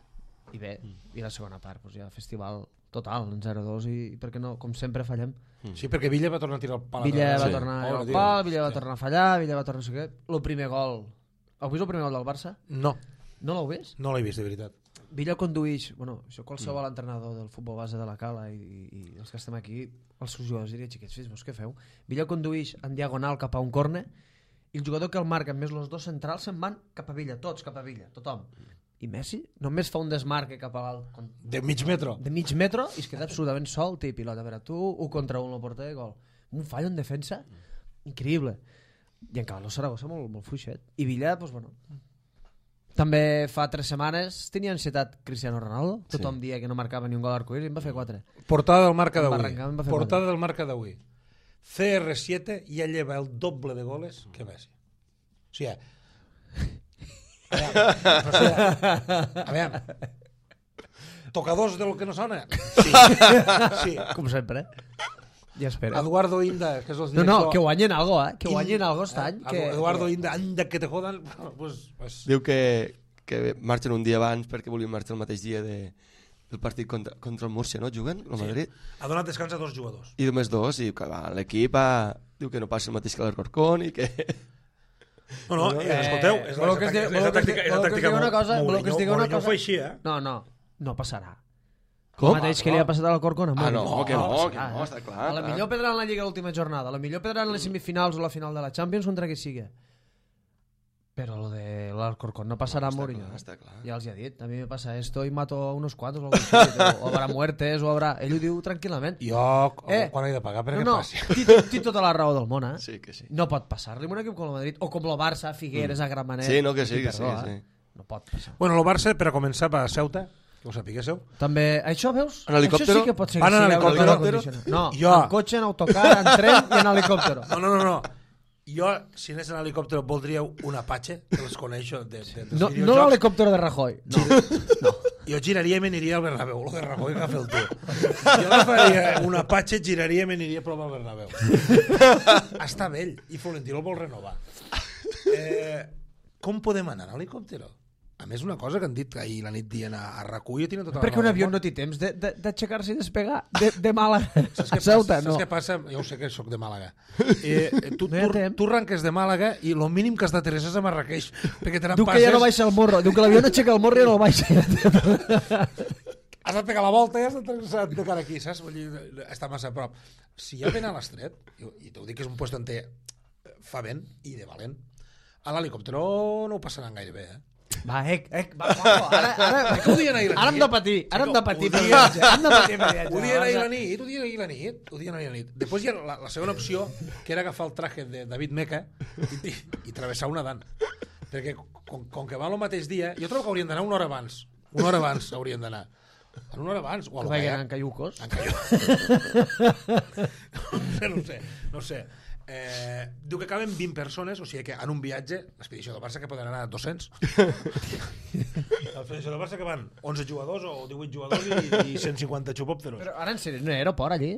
I bé, i la segona part, doncs ja festival total, en zero dos, i, i perquè no, com sempre fallem. Sí, perquè Villa va tornar a tirar el pal. Villa va Sí. tornar Pobre al tio. pal, Villa va Sí. tornar a fallar, Villa va tornar a no sé què. El primer gol, heu vist el primer gol del Barça? No, No l'heu vist? no l'he vist, de veritat. Villa conduïix, bueno, això qualsevol entrenador del futbol base de la Cala i, i, i els que estem aquí, els seus jugadors diria, xiquets, fills, vos què feu? Villa conduïix en diagonal cap a un corner i el jugador que el marca, més els dos centrals, se'n van cap a Villa, tots cap a Villa, tothom. I Messi només fa un desmarque cap a l'alt, con- De mig metro. de mig metro i es queda absolutament sol, té pilota, a veure, tu, un contra un, el porter, gol. Un fallo en defensa, increïble. I encara el Saragossa molt, molt fluixet. I Villa, doncs, bueno, també fa tres setmanes tenia ansietat Cristiano Ronaldo, tothom dia que no marcava ni un gol arcoïris i en va fer quatre. Portada del marca Em va d'avui. arrencar, em va fer Portada quatre. del marca d'avui. C R siete ja lleva el doble de goles que Messi. O sigui, a veure, o sigui, a veure, tocadors del que no sona? Sí. Sí. Com sempre. Ja espera. Eduardo Inda, que és el No, director... no, que guanyen algo, eh? Que guanyen In- algo este any. eh, Que... Eduardo Inda, anda que te jodan... Pues, pues, Diu que, que marxen un dia abans perquè volien marxar el mateix dia de, del partit contra, contra el Múrcia, no? Juguen, el Madrid. ha donat descans a dos jugadors. I només dos, i que va, l'equip va... diu que no passa el mateix que l'Alcorcón i que... No, no, eh, escolteu, és la, voleu que us és digui- la voleu que us tàctica, digui- és la voleu que us tàctica digui una cosa? Voleu que us digui una Mourinho cosa? ho fa així, eh? No, no, no passarà. Com? El mateix que li ha passat a l'Alcorcón. Ah, no, Mourinho. que no, passarà, que no, eh? està clar, A la clar. millor perdran la Lliga a l'última jornada, a la millor perdran les semifinals o la final de la Champions contra qui sigui. Però lo de l'Alcorcón no passarà a Està Mourinho. clar, està clar. Ja els hi ha dit, a mi me passa esto y mato a unos cuantos o, algo así, o, o habrá muertes o habrà... Ell ho diu tranquil·lament. Jo, Eh, quan he de pagar perquè No, no, passi? té, té tota la raó del món, eh? Sí, que sí. No pot passar-li un equip com el Madrid o com el Barça, Figueres, a Gramenet. Sí, no, que sí, I que sí, perdó, que eh? sí. No pot passar. Bueno, el Barça, per a començar, va a Ceuta, que ho sapiguéssiu. També, això veus? En helicòptero? Això sí que pot ser que Van en sigui helicòptero? autocondicionat. No, Jo. en cotxe, en autocar, en tren i en helicòptero. No, no, no, no. Jo, si anés en helicòptero, voldria un Apache, que els coneixo de, de, dels No, no videojocs. l'helicòptero de Rajoy. No. Jo giraria i me n'aniria al Bernabéu, lo de Rajoy que fa el tu. Jo agafaria un Apache, giraria i me n'aniria a provar al Bernabéu. Està vell, i Florentino el vol renovar. Eh, com podem anar en helicòptero? A més, una cosa que han dit ahir la nit dient a, a Racull, jo tinc tota la Perquè raó un del avió món. no té temps de- de- d'aixecar-se i despegar de, de Màlaga Saps a què Ceuta, passa? no. Saps què passa? Jo ho sé que sóc de Màlaga. Eh, eh, tu, No hi ha tu, temps. tu arranques de Màlaga i el mínim que has d'aterrissar és a Marrakeix, perquè te Diu que ja no baixa el morro. Diu que l'avió no aixeca el morro i ja no el baixa. has de pegar la volta i has d'aterrissar de cara aquí, saps? Vull dir, està massa a prop. Si ja ven a l'estret, i, i t'ho dic que és un lloc on té fa vent i de valent, a l'helicòptero no ho passaran gaire bé, eh? Va, ec, ec, va, Juanjo, ara, ara, Que ho dien ahir a la ara hem nit. de patir, ara hem de patir Ho per dien- viatge, hem de patir per viatge. Ho dien ahir a la nit, ho dien ahir a la nit, ho dien ahir a la nit. Després hi ha la, la segona opció, que era agafar el traje de David Meca i, i, i travessar una dan. Perquè com, com que va el mateix dia, jo trobo que haurien d'anar una hora abans. Una hora abans haurien d'anar. Una hora abans. O a Que lo vagin que en caiucos. En caiuc. no sé, no sé. Eh, diu que caben vint persones, o sigui que en un viatge, l'expedició del Barça que poden anar dos-cents. L'expedició del Barça que van onze jugadors o divuit jugadors i, i cent cinquanta xupòpteros. Però ara en sèrio, no hi ha aeroport allí?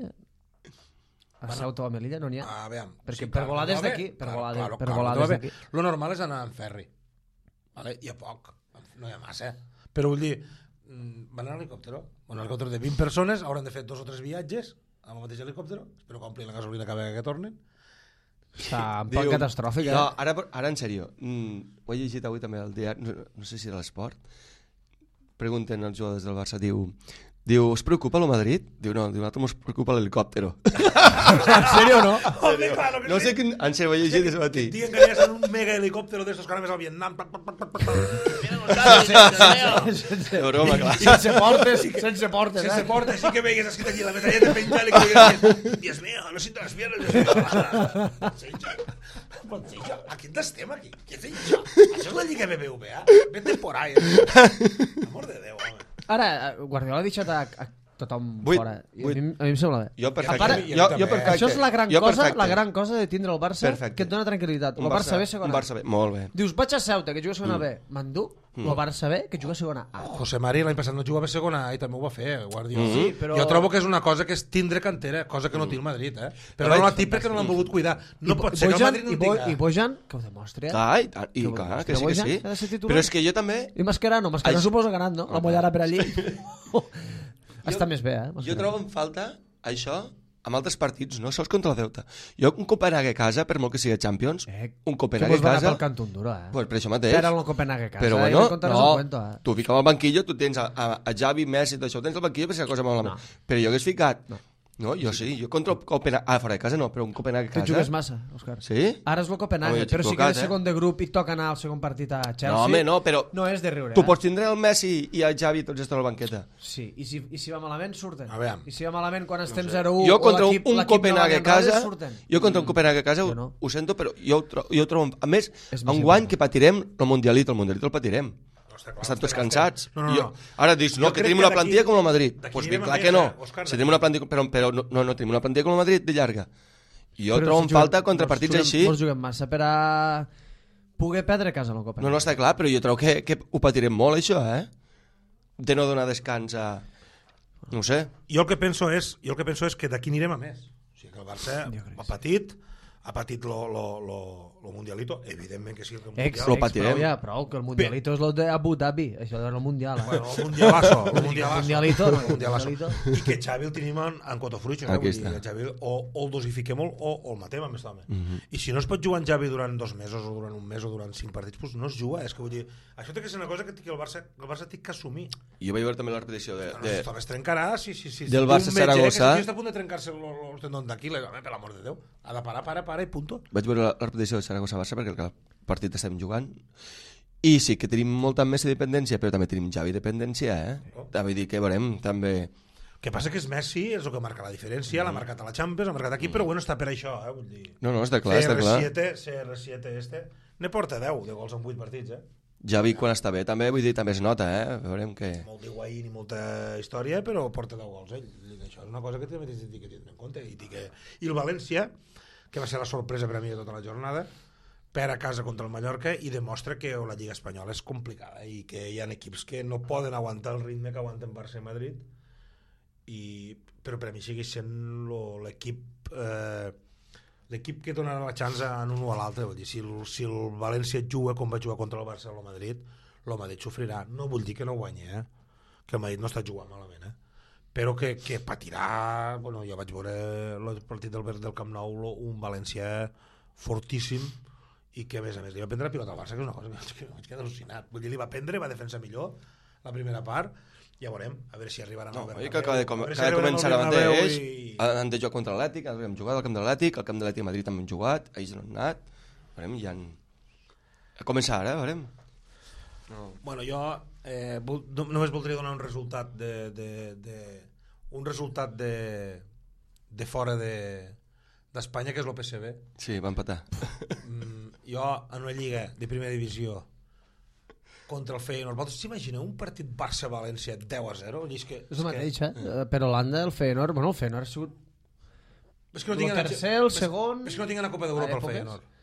A Ceuta o a Melilla no n'hi ha? Ah, veam. Perquè per volar des d'aquí, per volar des- per volar des d'aquí. Lo normal és anar en ferri. Vale? Hi ha poc, no hi ha massa. Però vull dir, mm, van en helicòptero. Bueno, un helicòptero de vint persones, hauran de fer dos o tres viatges amb el mateix helicòptero. Espero que omplin la gasolina cada vegada que tornen. Està un poc catastròfic, eh? No, ara, ara en sèrio, mm, ho he llegit avui també al diari, no, no sé si era l'esport, pregunten als jugadors del Barça, diu, diu, us preocupa el Madrid? Diu, no, diu, nosaltres ens preocupa l'helicòptero. En sèrio, no? Home, claro que No sí. sé quin... En sèrio, ho he llegit des de matí. Diuen que anies en un mega helicòptero d'estos que anaves al Vietnam. Pac, pac, pac, pac, pac, pac. De broma, clar. Sense portes, sense portes, Sense eh? porta, sí que veigues escrit aquí la metralleta penjant i que digues, Dios mío, no siento las piernas. Dios mío. Pot ser això? Pot ser això? A quin estem aquí? Què és això? Això és la Lliga B B V A? Vete por ahí. Amor de Déu, home. Ara, Guardiola ha deixat a, a tothom Vuit, fora. I a, vuit. mi, a mi em sembla bé. Jo perfecte. A part, jo, jo perfecte. Això és la gran, jo cosa, perfecte. la gran cosa de tindre el Barça Perfecte. que et dona tranquil·litat. Un El Barça, B, segona un Barça B, molt bé. Dius, vaig a Ceuta, que juga a segona B. M'endú el Barça B, que juga a segona A. José Mari l'any passat no jugava a segona A i també ho va fer, Guardiola. Mhm. Sí, però- Jo trobo que és una cosa que és tindre cantera, cosa que no té el Madrid, eh? Però Però no la vaig- té perquè no l'han volgut cuidar. No I pot ser que el Bojan, Madrid no i, en Bo, tinga. I Bojan, que ho demostri, eh? Clar, i, i Que clar, Bojan, que sí, que Bojan sí. ha de ser titular. Però és que jo també... I Mascherano, Mascherano Això- suposo que ha anat, no? La Mollada per allí. Està més bé, eh? Jo Mascherano. trobo en falta això amb altres partits, no sols contra el Ceuta. Jo un Copenhague a casa, per molt que sigui Champions, Eh, un que Copenhague mos a va anar casa... pel cant un duro, eh? Pues per això mateix. Però el Copenhague a casa. Però eh? bueno, I contaràs no, un cuento, eh? tu fiques al banquillo, tu tens a, a, a Xavi, Messi, tot això, ho tens al banquillo per si la cosa malament. No. Però jo hagués ficat... No. No, jo sí, jo contra el Copenhague... Ah, fora de casa no, però un Copenhague a Que casa... jugues massa, Òscar. Sí? Ara és el Copenhague, Home, jo però si equivocat, quedes eh? segon de grup i toca anar al segon partit a Chelsea... No, home, no, però... No és de riure, Tu eh? pots tindre el Messi i el Xavi tots estan a la banqueta. Sí, i si, i si va malament, surten. A veure. I si va malament quan estem zero u Jo contra o un, l'equip un l'equip no Copenhague va a ni enrere, casa, surten. jo contra un Copenhague a casa Jo ho, no. ho sento, però jo ho, tro jo ho trobo... A més, És més enguany important. que patirem el Mundialito, el Mundialito el patirem. està clar, Estan tots estem- cansats. No, no, Jo, no. ara dius, no, Jo que crec tenim que una d'aquí- plantilla com el Madrid. d'aquí Doncs anirem ben a clar més, que no. eh, Òscar, Si tenim una plantilla, però, però no, no, no tenim una plantilla com el Madrid de llarga. I jo Però trobo si en juguem- falta contra mos partits juguem- així. Mos juguem massa per a poder perdre a casa en el Copenhague. No, no, està clar, però jo trobo que, que ho patirem molt, això, eh? De no donar descans a... No ho sé. Jo el que penso és, jo el que penso és que d'aquí anirem a més. O sigui que el Barça Jo crec ha que sí. patit, ha patit lo, lo, lo, lo Mundialito, evidentment que sí. Que el Ex, Mundial, Lo ex, patirem. prou ja, prou, que el Mundialito és el de Abu Dhabi, això és el Mundial. Eh? bueno, el Mundialazo, el Mundialazo. Mundialito, no, el Mundialazo. Mundialito. I que Xavi el tenim en, en Cotofruig, eh? Aquí Vull dir, està. que Xavi o, o el dosifiquem o, o el matem amb aquest home. Mhm. I si no es pot jugar en Xavi durant dos mesos o durant un mes o durant cinc partits, doncs no es juga. És que vull dir, això té que ser una cosa que, que el Barça, el Barça té que assumir. Jo vaig veure també la repetició de... No, de... no, es trencarà, sí, sí, sí. Del Si Barça un metge, Saragossa. Que si aquí està a punt de trencar-se el, el tendón d'Aquiles, home, per l'amor de Déu. Ha de parar, para, para i punto. Vaig veure la, la repetició de Saragossa-Barça perquè el partit estem jugant i sí que tenim molta Messi dependència, però també tenim Xavi dependència, eh? Oh. Vull dir que veurem també... El que passa que és Messi, és el que marca la diferència, l'ha marcat a la Champions, l'ha marcat aquí, però bueno, està per això, eh? Vull dir... No, no, està clar, està clar. C R siete, C R siete este, ne porta deu de gols en vuit partits, eh? Javi quan està bé també, vull dir, també es nota, eh? Veurem que... Molt d'Higuaín i molta història, però porta deu gols, ell. Això és una cosa que també tens que tindre en compte. I, que... I el València, que va ser la sorpresa per a mi de tota la jornada, perd a casa contra el Mallorca i demostra que la Lliga Espanyola és complicada i que hi ha equips que no poden aguantar el ritme que aguanten Barça i Madrid, i... però per a mi segueix sent lo- l'equip eh, l'equip que donarà la chance en un o a l'altre. Vull dir, si el, si el València juga com va jugar contra el Barça o el Madrid, el Madrid sofrirà. No vull dir que no guanyi, eh? Que el Madrid no està jugant malament, eh? Però que, que patirà... Bueno, jo vaig veure el partit del, del Camp Nou, lo- un València fortíssim, i que a més a més li va prendre la pilota al Barça, que és una cosa que vaig quedar al·lucinat. Vull dir, li va prendre, va defensar millor la primera part, ja veurem, a veure si arribaran No, al oi Bernabéu. que acaba de, com, A veure si acaba de arribaran començar al ara Bernabéu mateix, i- han de jugar contra l'Atlètic, hem jugat al camp de l'Atlètic, al camp de l'Atlètic a Madrid també hem jugat, ells no han anat, veurem, ja han... A començar ara, veurem. No. Bueno, jo eh, vol, no, només voldria donar un resultat de, de, de un resultat de, de fora de d'Espanya, que és l'O P C B. Sí, va empatar. Mm, jo, en una lliga de primera divisió contra el Feyenoord, vosaltres s'imagineu un partit Barça-València deu a zero? És, que, És el que, mateix, eh? Per Holanda, el Feyenoord... Bueno, el Feyenoord ha sigut és que no el tinc tercer, el segon... És que no tinc a Copa d'Europa a el èpoques. Feyenoord.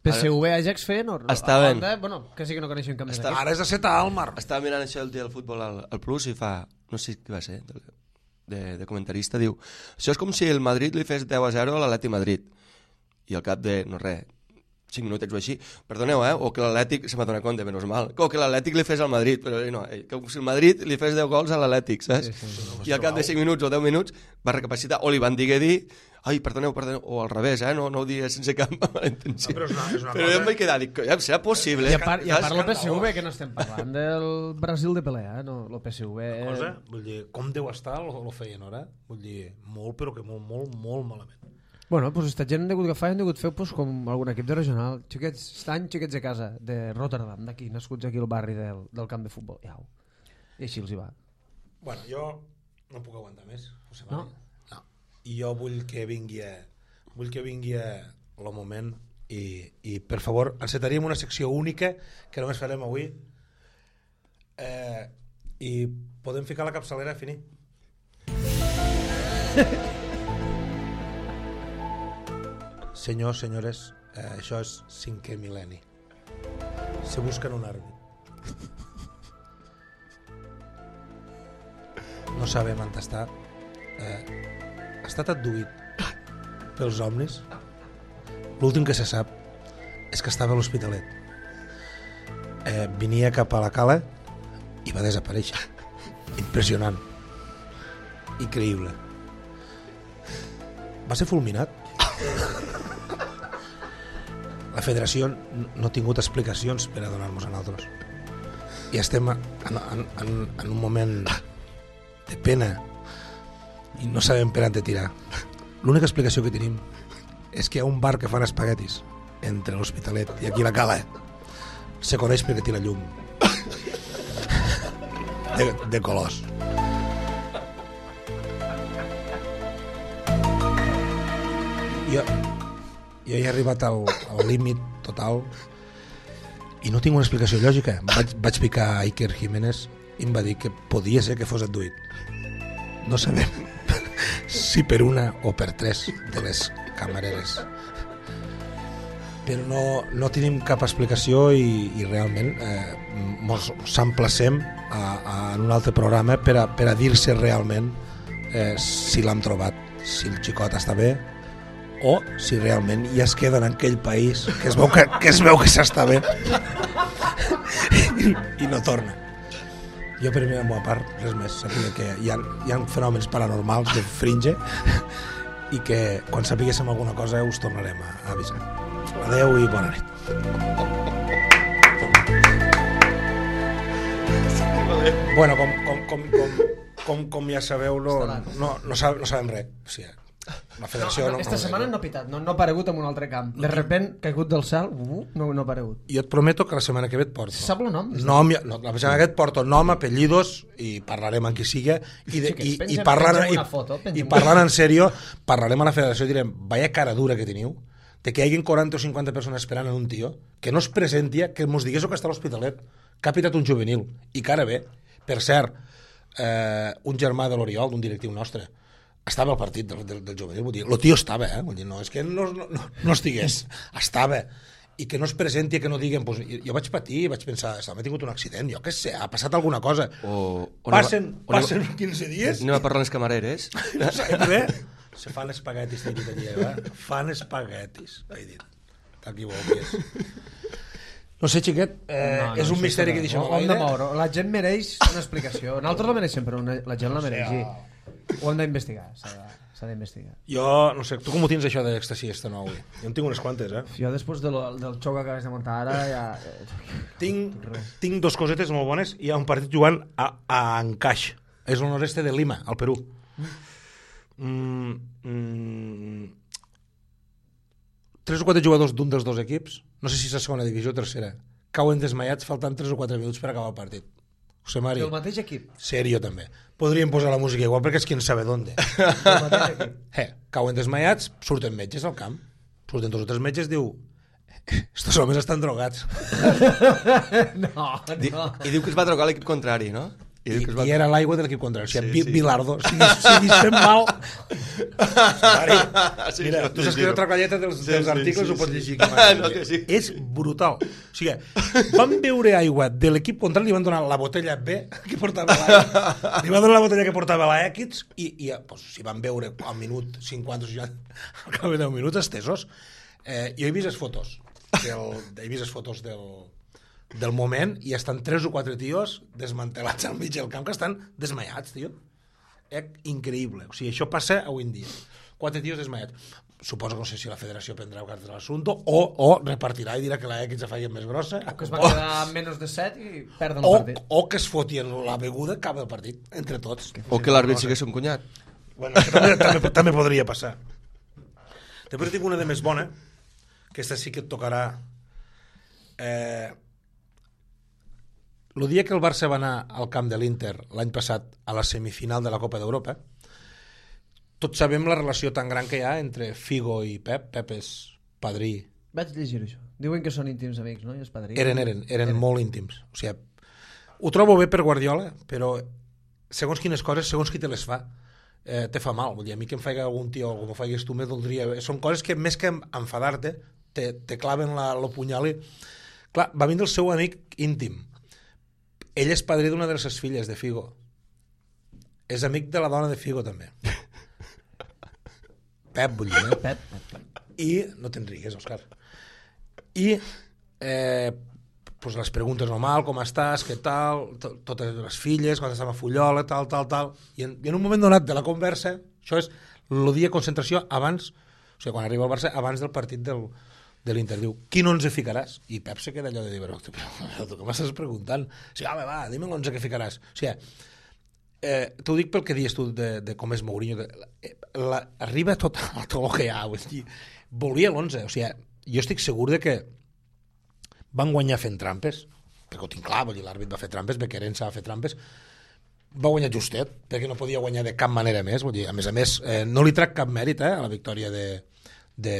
P S V, Ajax, Feyenoord. Estaven. Holanda, bueno, que sí que no coneixen cap més Està- equip. Ara és de set a Almar. Estava mirant això el dia del futbol al, al Plus i fa, no sé què va ser, de, de comentarista, diu, això és com si el Madrid li fes deu a zero a l'Atleti Madrid. I al cap de, no res, cinc minutets o així, perdoneu, eh? O que l'Atlètic, se m'ha donat compte, menys mal, o que l'Atlètic li fes al Madrid, però no, eh, com si el Madrid li fes deu gols a l'Atlètic, saps? Sí, sí. I al cap de cinc minuts o deu minuts va recapacitar, o li van dir dir, ai, perdoneu, perdoneu, o al revés, eh? No, no ho digues sense cap mala intenció. No, però és una- és una però cosa- jo em vaig quedar, dic, ja, serà possible. I a part, i a part el P S V, escandalós. que no estem parlant del Brasil de Pelé, eh? No, el P S V... Cosa, vull dir, com deu estar el, el Feyenoord, eh? Vull dir, molt, però que molt, molt, molt malament. Bueno, doncs esta gent han hagut d'agafar i han hagut fer pues, com algun equip de regional. Xiquets, estan xiquets de casa, de Rotterdam, d'aquí, nascuts aquí al barri del, del camp de futbol. Iau. I així els hi va. Bueno, jo no puc aguantar més. José No? María. No. I jo vull que vingui a, vull que vingui a el moment i, i per favor, encetaríem una secció única que només farem avui eh, i podem ficar la capçalera a finir. Senyors, senyores, eh, això és cinquè mil·lenni. Se busquen un àrbit. No sabem on està. Eh, ha estat adduït pels somnis. L'últim que se sap és que estava a l'Hospitalet. Eh, venia cap a la cala i va desaparèixer. Impressionant. Increïble. Va ser fulminat. La federació no ha tingut explicacions per a donar-nos a nosaltres. I estem en, en, en, en un moment de pena i no sabem per on de tirar. L'única explicació que tenim és que hi ha un bar que fan espaguetis entre l'Hospitalet i aquí la cala. Se coneix perquè tira llum de, de colors. Jo, jo he arribat al, al límit total i no tinc una explicació lògica. Vaig, vaig picar a Iker Jiménez i em va dir que podia ser que fos adduït. No sabem si per una o per tres de les camareres, però no, no tenim cap explicació i, i realment eh, mos s'emplacem a, a, en un altre programa per a, per a dir-se realment eh, si l'hem trobat, si el xicot està bé o si realment ja es queda en aquell país que es veu que, que, es veu que s'està bé I, i no torna. Jo per mi, a la part, res més, sàpiga que hi ha, hi ha fenòmens paranormals de fringe i que quan sapiguéssim alguna cosa us tornarem a, a avisar. Adeu i bona nit. Bueno, com, com, com, com, com, com ja sabeu, no, no, no, sab, no sabem res. O sigui, la federació... No, No, esta no, setmana no ha pitat, no, no ha aparegut en un altre camp. De repent, caigut del cel, uh, no, no ha aparegut. Jo et prometo que la setmana que ve et porto. Se sap el nom? Nom, no, la setmana que ve et porto nom, apellidos i parlarem amb qui siga i, de, Sí, que i, pengem- i, parlant, pengem i, una foto, pengem i una parlant foto. en sèrio, parlarem a la federació i direm, vaya cara dura que teniu, de que hi hagi quaranta o cinquanta persones esperant en un tio, que no es presenti, que mos digués que està a l'Hospitalet, que ha pitat un juvenil, i cara bé. Per cert, eh, un germà de l'Oriol, d'un directiu nostre, estava al partit del, del, del juvenil, vull dir, el tio estava, eh? Vull dir, no és que no, no, no, no estigués, estava, i que no es presenti, que no diguen, pues, jo vaig patir, vaig pensar, m'ha tingut un accident, jo què sé, ha passat alguna cosa. O, o Passen, anem a- passen quinze dies, Anem a parlar amb les camareres. no sabem res. Se fan espaguetis, t'he dit allà, eh? Fan espaguetis, he dit. T'equivoques. No sé, xiquet, eh, No, no, és un això misteri està que bé. deixem a Ho hem de l'aire. moure. La gent mereix una explicació. Nosaltres la mereixem, però una, la gent la mereix. Sí. Ho hem d'investigar. S'ha de- s'ha d'investigar. Jo, no sé, tu com ho tens això d'èxtasi esta nou avui? Jo en tinc unes quantes, eh? Jo després de lo, del xoc que acabes de muntar ara ja... Tinc, tinc dos cosetes molt bones. Hi ha un partit jugant a, a Ancash. És el nord-est de Lima, al Perú. Mm, mm, tres o quatre jugadors d'un dels dos equips, no sé si és la segona divisió o tercera, cauen desmaiats faltant tres o quatre minuts per acabar el partit. José Mari. Del mateix equip. Serio, també. Podríem posar la música igual perquè és qui en sabe d'on. Del mateix equip. Eh, cauen desmaiats, surten metges al camp. Surten dos o tres metges, diu estos homes estan drogats. No, Di, no. I diu que es va drogar l'equip contrari, no? I, I, diu que es va... i era l'aigua de l'equip contrari. O sigui, Sí, sí, sí. Bilardo. Si, si dissem mal... Mari, Sí, mira, no, tu sí, saps sí, que no. otra colleta dels, Sí, dels sí, articles sí, ho pots sí. llegir. Que No, que sí. És brutal. O sigui, van beure aigua de l'equip contrari, li van donar la botella B que portava l'aigua, li van donar la botella que portava la X i, i pues, si van beure al minut cinquanta o seixanta, al cap de deu minuts estesos. Eh, jo he vist les fotos, del, he vist les fotos del, del moment i estan tres o quatre tios desmantelats al mig del camp que estan desmaiats, tio. Eh, increïble. O sigui, això passa avui en dia. Quatre tios desmaiats. Suposo que no sé si la federació prendrà carta de l'assumpte o, o repartirà i dirà que la X se faci més grossa O que es va quedar amb menys de set i perden el o, partit. o que es fotien la beguda cap del partit, entre tots. O que l'àrbit sigués un cunyat. Bueno, això també, també, també podria passar. Després tinc una de més bona, que aquesta sí que et tocarà. Eh, el dia que el Barça va anar al camp de l'Inter l'any passat a la semifinal de la Copa d'Europa, tots sabem la relació tan gran que hi ha entre Figo i Pep. Pep és padrí. Vaig llegir això. Diuen que són íntims amics, no? I és padrí. Eren, eren, eren, eren molt íntims. O sigui, ho trobo bé per Guardiola, però segons quines coses, segons qui te les fa, eh, te fa mal. Vull dir, a mi que em faig algun tio o com ho faigues tu, me doldria. Són coses que més que enfadar-te, te, te claven la, lo punyal i... Clar, va vindre el seu amic íntim. Ell és padrí d'una de les seves filles, de Figo. És amic de la dona de Figo, també. Pep, vull dir, eh? Pep, Pep, Pep. I no te'n rigues, Òscar. I eh, pues les preguntes normal, com estàs, què tal, to- totes les filles, quan estàvem a Fullola, tal, tal, tal, i en, i en un moment donat de la conversa, això és el dia de concentració abans, o sigui, quan arriba al Barça, abans del partit del, de l'Inter, diu, quin onze ficaràs? I Pep se queda allò de dir, però, tu, però tu què m'estàs preguntant? O sigui, home, va, dime l'onze que ficaràs. O sigui, eh, t'ho dic pel que dius tu de, de com és Mourinho, que la, la, arriba a tot, a tot el que hi ha, vull dir, volia l'onze, o sigui, jo estic segur de que van guanyar fent trampes, perquè ho tinc clar, vull dir, l'àrbit va fer trampes, Bequerença va fer trampes, va guanyar justet, perquè no podia guanyar de cap manera més, vull dir, a més a més, eh, no li trac cap mèrit eh, a la victòria de, de,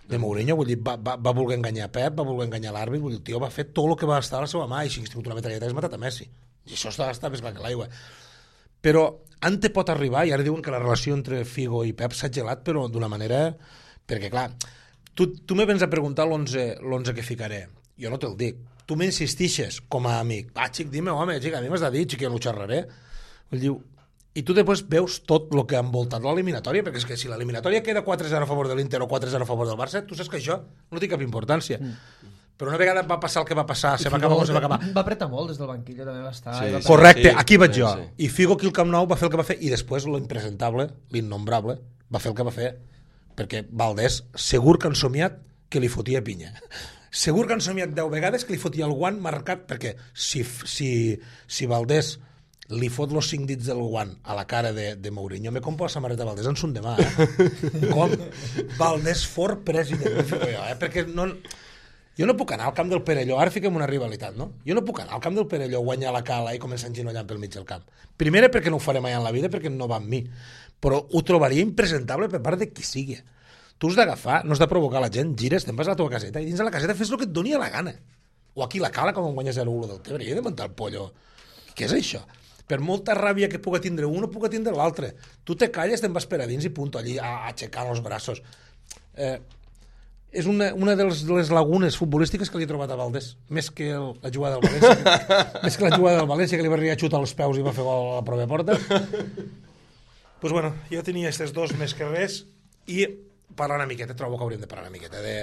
de Mourinho, vull dir, va, va, va voler enganyar Pep, va voler enganyar l'àrbit, vull dir, el tio va fer tot el que va estar a la seva mà, i si hagués tingut una metralleta hagués matat a Messi, i això està, està més clar que l'aigua. Però ante pot arribar, i ara diuen que la relació entre Figo i Pep s'ha gelat, però d'una manera... Perquè, clar, tu, tu me vens a preguntar l'onze que ficaré. Jo no te'l dic. Tu m'insistixes com a amic. Va, xic, dime, home, xic, a mi m'has de dir, xic, ja ho xerraré. Vull dir, i tu després veus tot el que ha envoltat l'eliminatòria, perquè és que si l'eliminatòria queda quatre zero a favor de l'Inter o quatre zero a favor del Barça, tu saps que això no té cap importància. Mm. Però una vegada va passar el que va passar, se va acabar o se va acabar. Va apretar molt des del banquillo, també va estar. Sí, i va sí. Correcte, Sí, aquí vaig sí, jo. sí. I Figo aquí al Camp Nou va fer el que va fer, i després l'impresentable, l'innombrable, va fer el que va fer, perquè Valdés segur que han somiat que li fotia pinya. Segur que han somiat deu vegades que li fotia el guant marcat, perquè si, si, si Valdés li fot los cinc dits del guant a la cara de, de Mourinho, me compro la samarreta Valdés en son demà, eh? Com Valdés for president, jo, eh? Perquè no... Jo no puc anar al camp del Perelló, ara fiquem una rivalitat, no? Jo no puc anar al camp del Perelló, guanyar la cala i començar enginollant pel mig del camp. Primera, perquè no ho faré mai en la vida, perquè no va amb mi. Però ho trobaria impresentable per part de qui sigui. Tu has d'agafar, no has de provocar la gent, gires, te'n vas a la teva caseta i dins de la caseta fes el que et doni la gana. O aquí la cala, com guanyes zero a u del Tebre, i he de muntar el pollo. Què és això? Per molta ràbia que puga tindre un, no puga tindre l'altre. Tu te calles, te'n vas per a dins i punt, allí, a, aixecant els braços. Eh... És una, una de, les, de les lagunes futbolístiques que li he trobat a Valdés, més que el, la jugada del València, que, més que la jugada del València, que li va arribar a xutar els peus i va fer gol a la pròpia porta. Pues bueno, jo tenia aquests dos més que res, i parlar una miqueta, trobo que hauríem de parlar una miqueta de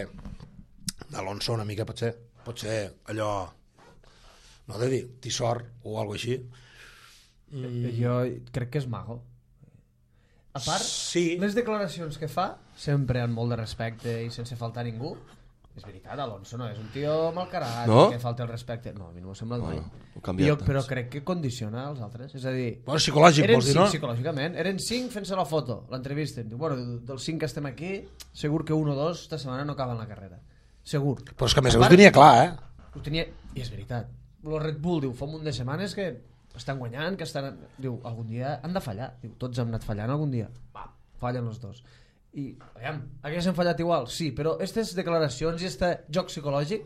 d'Alonso, una mica, potser, potser allò, no de dir, tissor o alguna així. Mm. Jo crec que és mago. A part, Sí. les declaracions que fa, sempre amb molt de respecte i sense faltar a ningú, és veritat, Alonso no és un tio malcarat, No? que falta el respecte. No, a mi no m'ho sembla mai. Bueno, ho canvia Jo, tant. però crec que condiciona els altres. És a dir, Bueno, psicològic, eren vols dir, cinc, no? psicològicament. Eren cinc fent-se la foto, l'entrevisten. Diu, bueno, dels cinc que estem aquí, segur que un o dos esta setmana no acaben la carrera. Segur. Però és que a més a més ho tenia clar, eh? ho tenia, i és veritat, el Red Bull diu, fa un munt de setmanes que estan guanyant, que estan... Diu, algun dia han de fallar. Diu, tots hem anat fallant algun dia. Va, fallen els dos. I, aviam, haguessin fallat igual? Sí, però aquestes declaracions i aquest joc psicològic,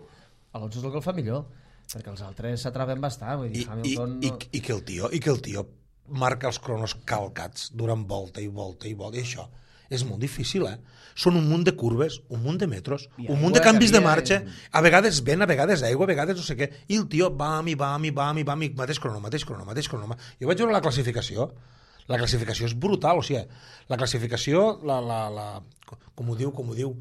Alonso és el que el fa millor, perquè els altres s'atraven bastant. Vull dir, I, Hamilton... i, No... i, i, que el tio, I que el tio marca els cronos calcats durant volta i volta i volta, i això és molt difícil, eh? Són un munt de curves, un munt de metros, I un munt de aigua, canvis de havia- marxa, a vegades vent, a vegades aigua, a vegades no sé què, i el tio vam i vam i vam i vam i mateix crono, mateix crono, mateix crono. Jo vaig veure la classificació, la classificació és brutal, o sigui, la classificació, la, la, la, com ho diu, com ho diu,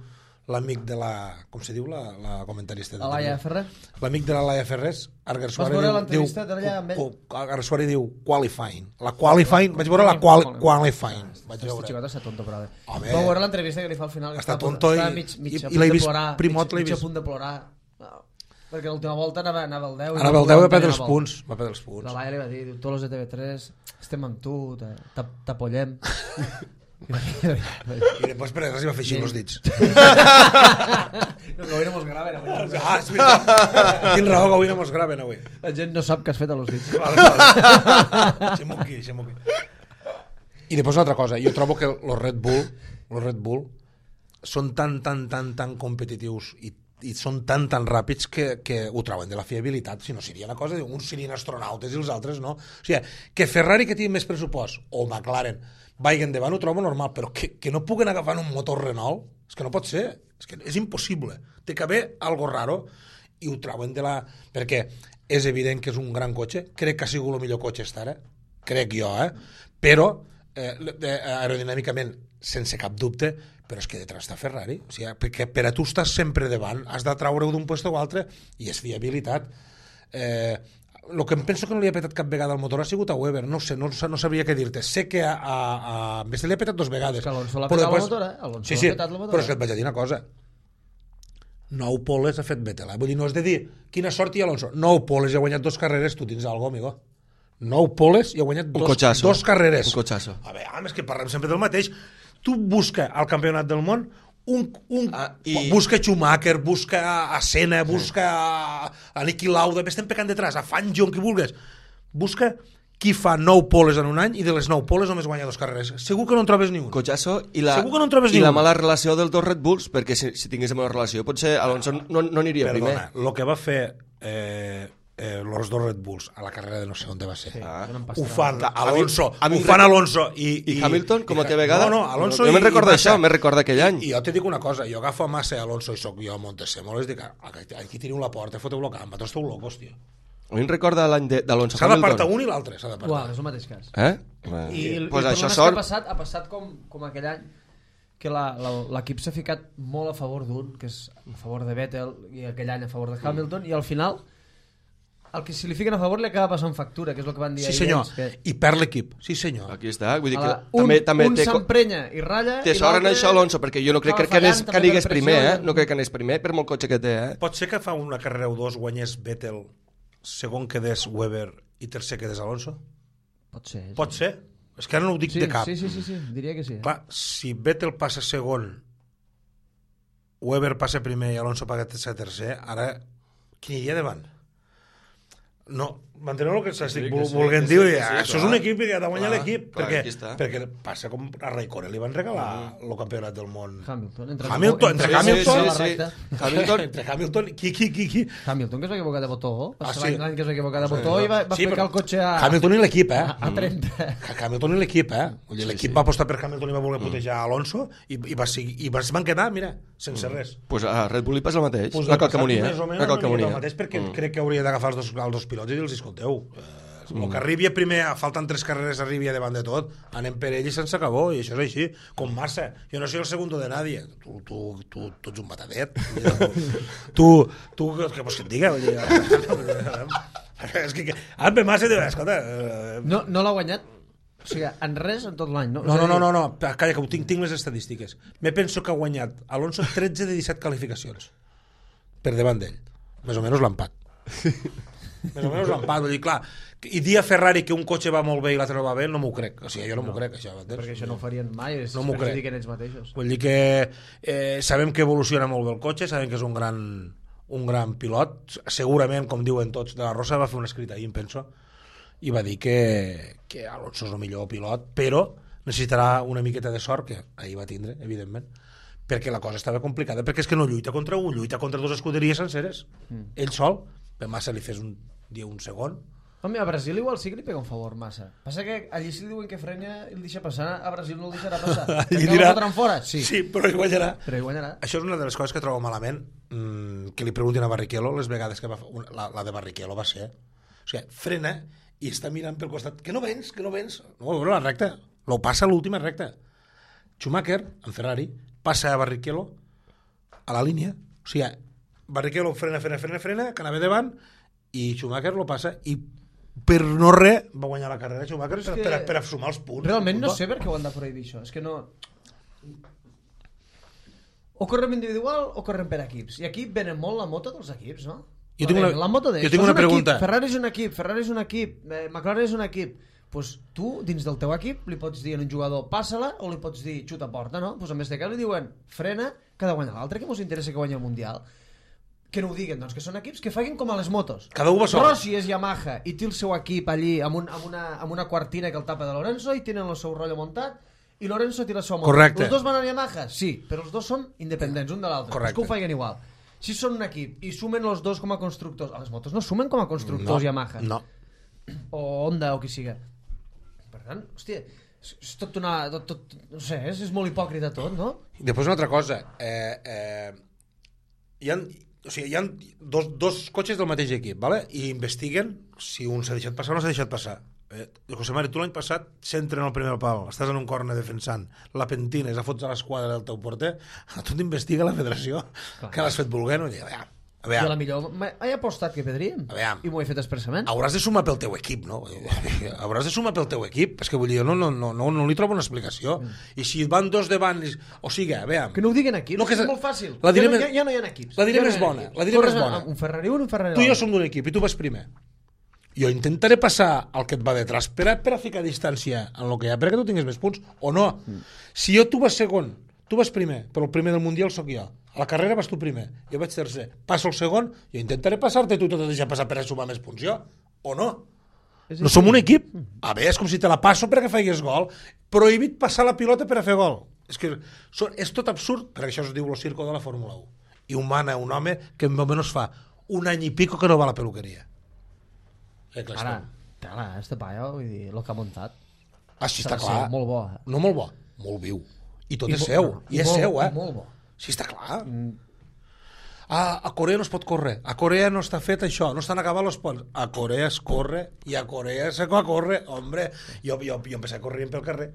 l'amic de la... Com se diu la, la comentarista? A Laia Ferrer? L'amic de la Laia Ferrés, Arger Suárez veure diu... l'entrevista d'allà amb ell? diu Arger Suárez diu qualifying. La qualifying, vaig veure la qual, qualifying. Vaig Este veure. xicot està tonto, però bé. Home. Vau veure l'entrevista que li fa al final, que Està està, a punt- tonto està i- mig, mig i- a i punt l'he de vist, plorar, Primot mig, l'he mig a vist. punt de plorar. No, perquè l'última volta anava, anava el deu. i Ara no el deu va podia perdre els tenir la punts. Va perdre els La punts. Laia li va dir, diu, tots els de T V tres estem amb tu, te- t'ap- t'apoyem. I després per res hi va fer així amb els dits. No, que avui no mos graven. Avui. Ah, és veritat. Tinc raó que avui no mos graven avui. La gent no sap què has fet a los dits. Vale, vale. Deixem-ho aquí, deixem-ho aquí. I després una altra cosa, jo trobo que els Red Bull, els Red Bull són tan, tan, tan, tan competitius i, i són tan, tan ràpids que, que ho trauen de la fiabilitat, si no seria una cosa, uns serien astronautes i els altres no. O sigui, que Ferrari, que tingui més pressupost, o McLaren, vagin endavant, ho trobo normal, però que, que no puguen agafar un motor Renault, és que no pot ser, és que és impossible. Té que haver algo raro i ho trauen de la... Perquè és evident que és un gran cotxe, crec que ha sigut el millor cotxe estar, eh? Crec jo, eh? Però eh, aerodinàmicament, sense cap dubte, però és que detrás està Ferrari, o sigui, perquè per a tu estàs sempre davant, has de traure-ho d'un lloc o altre, i és fiabilitat. Eh, el que em penso que no li ha petat cap vegada al motor ha sigut a Weber, no sé, no, no sabria què dir-te. Sé que a, a, a Messi li ha petat dos vegades. És que Alonso l'ha però petat després- la motora, eh? Alonso sí, l'ha sí, petat la motora. però és que et vaig a dir una cosa. Nou poles ha fet Vettel, eh? Vull dir, no és de dir quina sort hi ha Alonso. Nou poles i ha guanyat dos carreres, tu tens algo, amigo. Nou poles i ha guanyat Un dos, cotxasso. dos carreres. Un cotxasso. A veure, és que parlem sempre del mateix. Tu busca al campionat del món un, un Ah, i- busca Schumacher, busca a Senna, busca a, a Niki Lauda, estem pecant detrás, a Fangio, qui vulguis. Busca qui fa nou poles en un any i de les nou poles només guanya dos carreres. Segur que no en trobes ni un. Cotxasso i la, Segur que no en trobes i ni la un. mala relació dels dos Red Bulls, perquè si, si tinguéssim una relació potser Alonso no, no aniria Perdona, primer. el que va fer eh, eh, els dos Red Bulls a la carrera de no sé on va ser. Sí, Ah. una Ho empastada. fan A mi- Alonso, a mi ho em fan rec- Alonso i, I Hamilton, com a que vegada? No, no, Alonso Jo i, me'n recordo i això, Massa. me'n recordo aquell any. I jo te dic una cosa, jo agafo a Massa i Alonso i soc jo a Montesemo, i dic, aquí teniu la porta, foteu-lo camp, vosaltres esteu locos, tio. A mi em recorda l'any de- d'Alonso S'ha d'apartar Hamilton. un i l'altre, s'ha d'apartar. Uau, és el mateix cas. Eh? I el, pues el això problema és que sort... ha passat, ha passat com, com aquell any que la- la- l'equip s'ha ficat molt a favor d'un, que és a favor de Vettel, i aquell any a favor de Hamilton, i al final el que si li fiquen a favor li acaba passant factura, que és el que van dir Sí, ahir senyor, ells, que i perd l'equip, sí senyor. Aquí està, vull dir a que la, un, també, també un té, co- s'emprenya i ratlla té i sort en l'altre això Alonso, perquè jo no crec que, acaba que, anés, fallant que també anés per primer, eh? pressió. No crec que anés primer per molt cotxe que té, eh? Pot ser que fa una carrera o dos guanyés Vettel, segon quedés Weber i tercer quedés Alonso? Pot ser. sí. Pot ser? És que ara no ho dic Sí, de cap. sí, sí, sí, sí, diria que sí. Eh? Clar, si Vettel passa segon, Weber passa primer i Alonso passa tercer, ara qui hi ha davant? No, manteneu el que s'estic Sí, sí, que sí, volent que dir. sí, que sí, Això clar. és un equip que ha de guanyar Clar, l'equip, clar, perquè, aquí està. perquè passa com a Raikkonen li van regalar el campionat del món. Hamilton, entre Hamilton, entre sí, Hamilton- sí, sí, sí, sí. sí. Hamilton, Entre Hamilton, qui, qui, qui, qui? Hamilton, que es va equivocar de botó, va Ah, ser sí. l'any que es va equivocar de botó i va, va Sí, ficar però el cotxe a, Hamilton i l'equip, eh? a, a trenta. Hamilton i l'equip, eh? Vull dir, Sí, l'equip sí. va apostar per Hamilton i va voler putejar Alonso i, i, va, seguir, i va, es van quedar, mira, sense res. pues a Red Bull li passa el mateix. Pues la el passat calcamonia, més o eh? menys La una miqueta calcamonia. el mateix, perquè mm. crec que hauria d'agafar els, dos, els dos pilots i dir-los, escolteu, eh, el que arribi a primer, falten tres carreres, arribi a davant de tot, anem per ell i se'ns acabó, i això és així, com Massa. Jo no soy el segundo de nadie. Tu, tu, tu, tu ets un batadet. Tu, tu, què vols que et diga? Vull dir, és que, que Alpe Massa diu, escolta... Eh, No, no l'ha guanyat, o sigui, en res en tot l'any, no? No, És a no, no, dir, no, no, calla, que ho tinc, tinc les estadístiques. Me penso que ha guanyat Alonso tretze de disset qualificacions per davant d'ell. Més o menys l'empat. Més o menys l'empat, vull dir, clar, i dir a Ferrari que un cotxe va molt bé i l'altre no va bé, no m'ho crec. O sigui, jo no, no. m'ho crec, això. Entens? Perquè això no ho farien mai, és No m'ho crec. crec. ells mateixos. Vull dir que eh, sabem que evoluciona molt bé el cotxe, sabem que és un gran, un gran pilot, segurament, com diuen tots, de la Rosa va fer un escrit ahir, em penso, i va dir que, que Alonso és el millor pilot, però necessitarà una miqueta de sort, que ahir va tindre, evidentment, perquè la cosa estava complicada, perquè és que no lluita contra un, lluita contra dues escuderies senceres. Mm. Ell sol, per Massa li fes un dia un segon. Home, a Brasil igual sí que li pega un favor Massa. Passa que allí si li diuen que frena i el deixa passar, a Brasil no el deixarà passar. Allí dirà... fora? Sí. sí, però ell guanyarà. Però ell guanyarà. Això és una de les coses que trobo malament, mmm, que li preguntin a Barrichello les vegades que va fer, la, la de Barrichello va ser, o sigui, frena i està mirant pel costat, que no vens, que no vens. No, veure la recta, lo passa a l'última recta. Schumacher, en Ferrari, passa a Barrichello a la línia, o sigui, Barrichello frena, frena, frena, frena, que anava davant, i Schumacher lo passa, i per no res va guanyar la carrera Schumacher per, per, per a sumar els punts. Realment no sé per què ho han de prohibir això, és que no... O correm individual o correm per equips, i aquí venen molt la moto dels equips, no? Jo tinc una, la moto de jo tinc una pregunta. Equip, Ferrari és un equip, Ferrari és un equip, eh, McLaren és un equip. Pues tu, dins del teu equip, li pots dir a un jugador passa-la o li pots dir xuta a porta, no? Pues en vez de que li diuen frena, que ha de guanyar l'altre, que mos interessa que guanyi el Mundial. Que no ho diguen, doncs que són equips que facin com a les motos. Cada un va sol. Rossi és Yamaha i té el seu equip allí amb, un, amb, una, amb una quartina que el tapa de Lorenzo i tenen el seu rotllo muntat i Lorenzo té la seva moto. Correcte. Els dos van a Yamaha? Sí, però els dos són independents, un de l'altre. Correcte. És que ho facin igual. Si són un equip i sumen els dos com a constructors, a les motos no sumen com a constructors no, Yamaha. No. O Honda o qui siga. Per tant, hòstia, és, és tot una... Tot, tot, no sé, és, és molt hipòcrita tot, no? I després una altra cosa. Eh, eh, hi ha... O sigui, hi ha dos, dos cotxes del mateix equip, ¿vale? I investiguen si un s'ha deixat passar o no s'ha deixat passar. Eh, José Mari, tu l'any passat s'entra en el primer pal, estàs en un corner defensant, la pentina és a fots a l'esquadra del teu porter, a tu t'investiga la federació, clar, que l'has fet volent, no? I, a veure, a veure, I a la millor he apostat que pedríem i m'ho he fet expressament. Hauràs de sumar pel teu equip, no? Hauràs de sumar pel teu equip, és que vull dir, no, no, no, no, no li trobo una explicació. Mm. I si van dos davant, o sigui, a veure... Que no ho diguen aquí, no, que és, és molt fàcil. La diré ja, més, ja, ja no hi ha equips. La diré ja més no bona, equips. la diré més bona. Un Ferrari un, un Ferrari tu i jo l'altre. som d'un equip i tu vas primer. Jo intentaré passar el que et va detrás per a, per a ficar distància en el que hi ha, perquè tu tinguis més punts, o no. Mm. Si jo tu vas segon, tu vas primer, però el primer del Mundial sóc jo. A la carrera vas tu primer, jo vaig tercer. Passo el segon, jo intentaré passar-te, tu t'has de deixar passar per a sumar més punts jo, o no? No som un equip? A veure, és com si te la passo perquè faigués gol. Prohibit passar la pilota per a fer gol. És que és tot absurd, perquè això es diu el circo de la Fórmula un. I un mana un home que en almenys fa un any i pico que no va a la peluqueria. Eh, clar, ara, tela, este paio, vull dir, el que ha muntat. Ah, sí, està clar. Molt bo. No molt bo, molt viu. I tot I és seu, no, i, i és molt, seu, eh? I molt bo. Sí, està clar. Mm. Ah, a Corea no es pot córrer. A Corea no està fet això, no estan acabant els ponts. A Corea es corre i a Corea se corre. Hombre, jo, jo, jo empecé a correr pel carrer.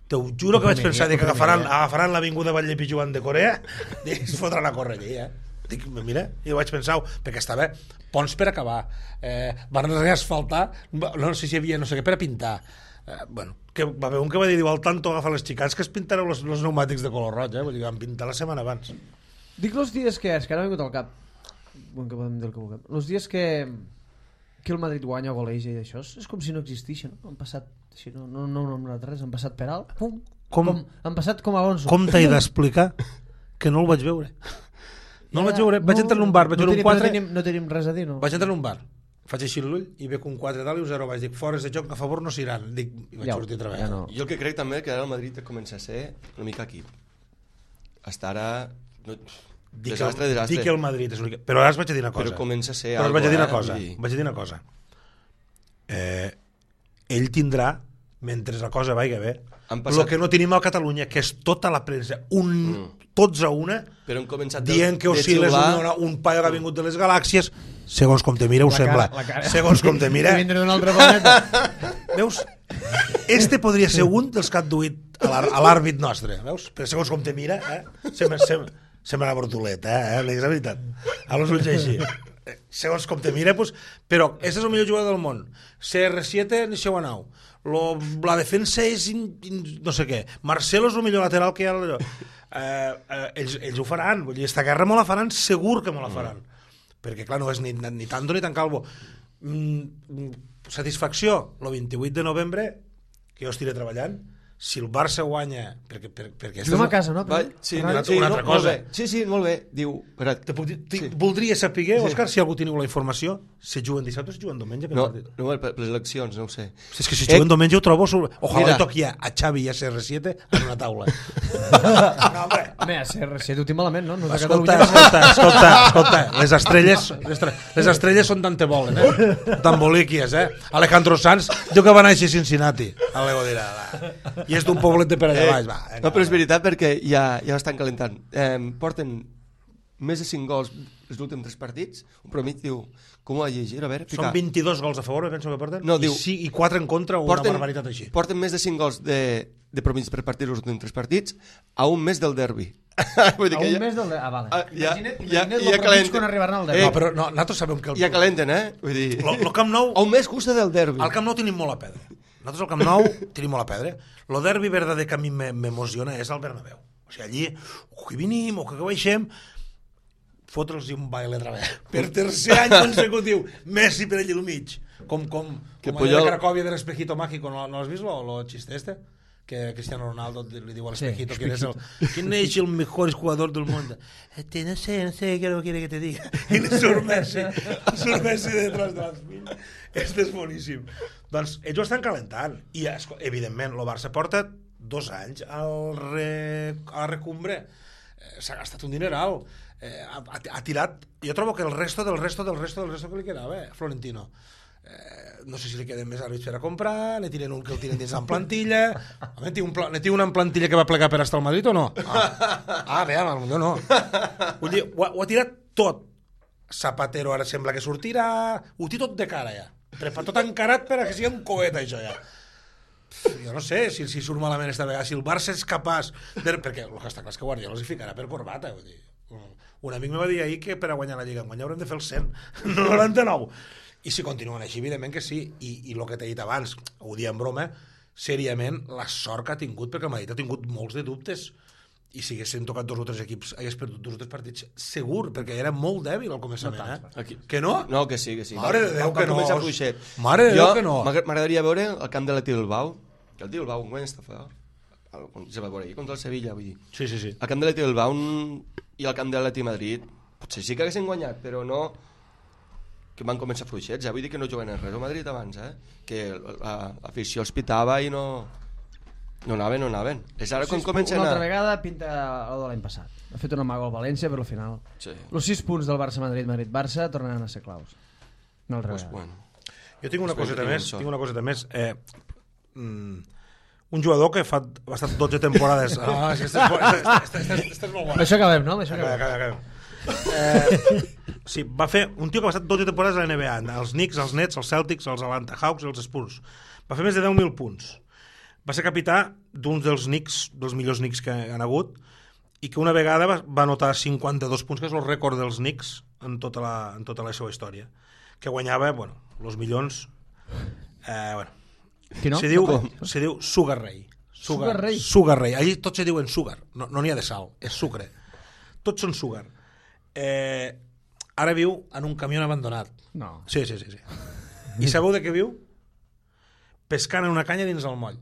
Te ho juro que vaig pensar que agafaran, agafaran l'avinguda Batlle Pijuan de Corea i es fotran a córrer allí, eh? Dic, mira, i ho vaig pensar, perquè estava ponts per acabar, eh, van reasfaltar, no sé si hi havia no sé què, per a pintar. Eh, bueno, que va haver un que va dir, diu, al tanto agafa les xicans que es pintareu els, els pneumàtics de color roig, eh? Vull dir, van pintar la setmana abans. Dic els dies que és, que ara m'ha vingut al cap, bueno, que podem dir el que vulguem, els dies que, que el Madrid guanya o goleja i això, és com si no existeixen, no? Han passat, així, no, no, no, no, no, res, han passat per alt, pum, com, com, han passat com Alonso. Com t'he d'explicar que no el vaig veure? No el vaig veure, vaig no, entrar en un bar, vaig veure no un quatre... No tenim, no tenim res a dir, no? Vaig entrar en un bar, faig així l'ull i veig un quatre dalt i un zero baix. Dic, fores de joc, a favor no s'iran. Dic, i vaig ja, sortir a treballar. Ja no. Jo el que crec també que ara el Madrid comença a ser una mica equip. Hasta ara... No, dic, desastre, desastre. Dic que el Madrid és un equip. Però ara us vaig a dir una cosa. Però comença a ser Però algo, vaig a dir una eh? cosa. I... Vaig a dir una cosa. Eh, ell tindrà, mentre la cosa vagi bé, passat... el que no tenim a Catalunya, que és tota la premsa, un... Mm. tots a una, però han començat dient que Osiles és un, un paio que ha vingut de les galàxies, segons com te mira ho la sembla cara, segons com te mira vindre d'un altre planeta. Veus? Este podria ser un dels que han duit a l'àrbit nostre, veus? Però segons com te mira, eh? sembla, sembla, sembla una bortoleta, eh? És la veritat, a los ulls així, segons com te mira, pues, però este és el millor jugador del món, C R siete ni seu anau, Lo, la defensa és in, in, no sé què, Marcelo és el millor lateral que hi ha allò. Eh, eh, ells, ells ho faran, vull dir, esta guerra me la faran, segur que me la faran, mm. perquè clar, no és ni, ni tanto ni tan calvo. Mm, satisfacció, el vint-i-vuit de novembre que jo estiré treballant, si el Barça guanya... Perquè, per, perquè Juguem a casa, no? Va, sí, Una- no, sí, una no, altra molt cosa. bé. Sí, sí, molt bé. Diu... Espera, Te puc dir, sí. Sí. Voldria saber, Òscar, si algú teniu la informació, si juguen dissabte o si juguen diumenge. no, partit. no, per per les eleccions, no ho sé. Si és que si Eh, juguen diumenge ho trobo... Sobre... Ojalà Mira. li toqui a, a Xavi i a C R siete en una taula. no, home. Home, a C R siete ho tinc malament, no? No és de Escolta, Catalunya. escolta, escolta, escolta, les estrelles, les, estre- les estrelles són tant te volen, eh? Tan boliquies, eh? Alejandro Sanz diu que va néixer a Cincinnati. Alego dirà, va. I és d'un poblet de per allà baix, va. Vinga, No, però és veritat perquè ja, ja estan calentant. Eh, porten més de cinc gols els últims tres partits. Un promit diu... Com ho ha llegit? A veure, Són fica. vint-i-dos gols a favor, me penso que porten, No, i, diu- sí, i quatre en contra o una Porten, barbaritat així. porten més de cinc gols de, de promís per partit els últims tres partits a un mes del derbi. Vull dir A que un ja- mes del... Ah, vale. Ah, ja- Imagina't, ja- imagina't ja lo calenten. promig quan arribaran al Eh, derbi. No, però no, nosaltres sabem que el, Ja calenten, eh? Vull dir... lo, lo Camp Nou, A un mes justa del derbi. al Camp Nou tenim molt a perdre. Nosaltres al Camp Nou tenim molt a perdre. Lo derbi verdader que a mi me- m'emociona és el Bernabéu. O sigui, allí, o que vinim, o que baixem, fotre'ls un baile otra vez. Per tercer any consecutiu, Messi per allí al mig. Com, com, Que com allò Puyol- de Cracòvia de l'espejito mágico, ¿no, no has vist lo, lo chiste este? Que Cristiano Ronaldo li diu al espejito Sí, que eres el, ¿quién es el mejor jugador del mundo? Este, no sé, no sé qué quiere que te diga. I le surt Messi, surt Messi detrás de les filles. Este és boníssim. Doncs ells ho estan calentant. I, esco- evidentment, el Barça porta dos anys al re, a la recumbre. Eh, S'ha gastat un dineral. Eh, ha, ha, ha tirat... Jo trobo que el resto del resto del resto del resto que li quedava, eh, Florentino. Eh, no sé si li queden més àrbits per a comprar, ne tiren un que el tiren dins en plantilla. Home, té un pla, ne té una en plantilla que va plegar per estar al Madrid o no? Ah, ah veam, potser no. Vull dir, ho, ha- ho ha tirat tot. Zapatero ara sembla que sortirà, ho té tot de cara ja. Prepa tot encarat per a que sigui un coet això ja. Pff, jo no sé si, si surt malament esta vegada, si el Barça és capaç de... perquè el que està clar és que Guardiola els hi ficarà per corbata, vull dir. Un amic me va dir ahir que per a guanyar la Lliga en guanyar haurem de fer el cent, no el noranta-nou. I si continuen així, evidentment que sí. I, i el que t'he dit abans, ho dia en broma, seriament, la sort que ha tingut, perquè el Madrid ha tingut molts de dubtes, i si haguessin tocat dos o tres equips, hagués perdut dos o tres partits, segur, perquè era molt dèbil al començament, No tant, eh? Aquí. Que no? No, que sí, que sí. Mare de Déu, Va- va que no. començar fluixet. Mare de Jo Déu, que no. m'agra- M'agradaria veure el camp de la Bilbao, que el Bilbao un està fort. El- Se va veure ahir contra el Sevilla, vull dir. Sí, sí, sí. El camp de la Bilbao un- i el camp de l'Atleti Madrid, potser sí que haguessin guanyat, però no que van començar fluixets, eh? Vull dir que no juguen en res al Madrid abans, eh? Que l'afició els pitava i no... No anaven, no anaven. És ara quan comencen Una a... altra vegada pinta el de l'any passat. Ha fet una mago al València, però al final... Sí. Els sis punts del Barça-Madrid, Madrid-Barça, tornaran a ser claus. Una altra Pues, vegada. bueno. Jo tinc una Espero coseta que tinguin més, sort. tinc una coseta més. Eh, mm, un jugador que fa ha estat dotze temporades... Ah, és que esta és, bo- esta, esta, esta, esta és molt Amb bona. això acabem, no? Amb això Acaba, acabem. acaba, acaba. Eh, sí, va fer un tio que va estar dotze temporades a la N B A, els Knicks, els Nets, els Celtics, els Atlanta Hawks i els Spurs. Va fer més de deu mil punts. Va ser capità d'un dels Knicks, dels millors Knicks que han hagut, i que una vegada va, va anotar cinquanta-dos punts, que és el rècord dels Knicks en tota la, en tota la seva història. Que guanyava, bueno, els milions... Eh, bueno, Qui no? se diu, Com? se diu Sugar Ray. Sugar Ray? Sugar Ray. Allí tots se diuen sugar. No n'hi no ha de sal, és sucre. Tots són sugar. Eh, ara viu en un camió abandonat. No. Sí, sí, sí, sí. I sabeu de què viu? Pescant en una canya dins el moll.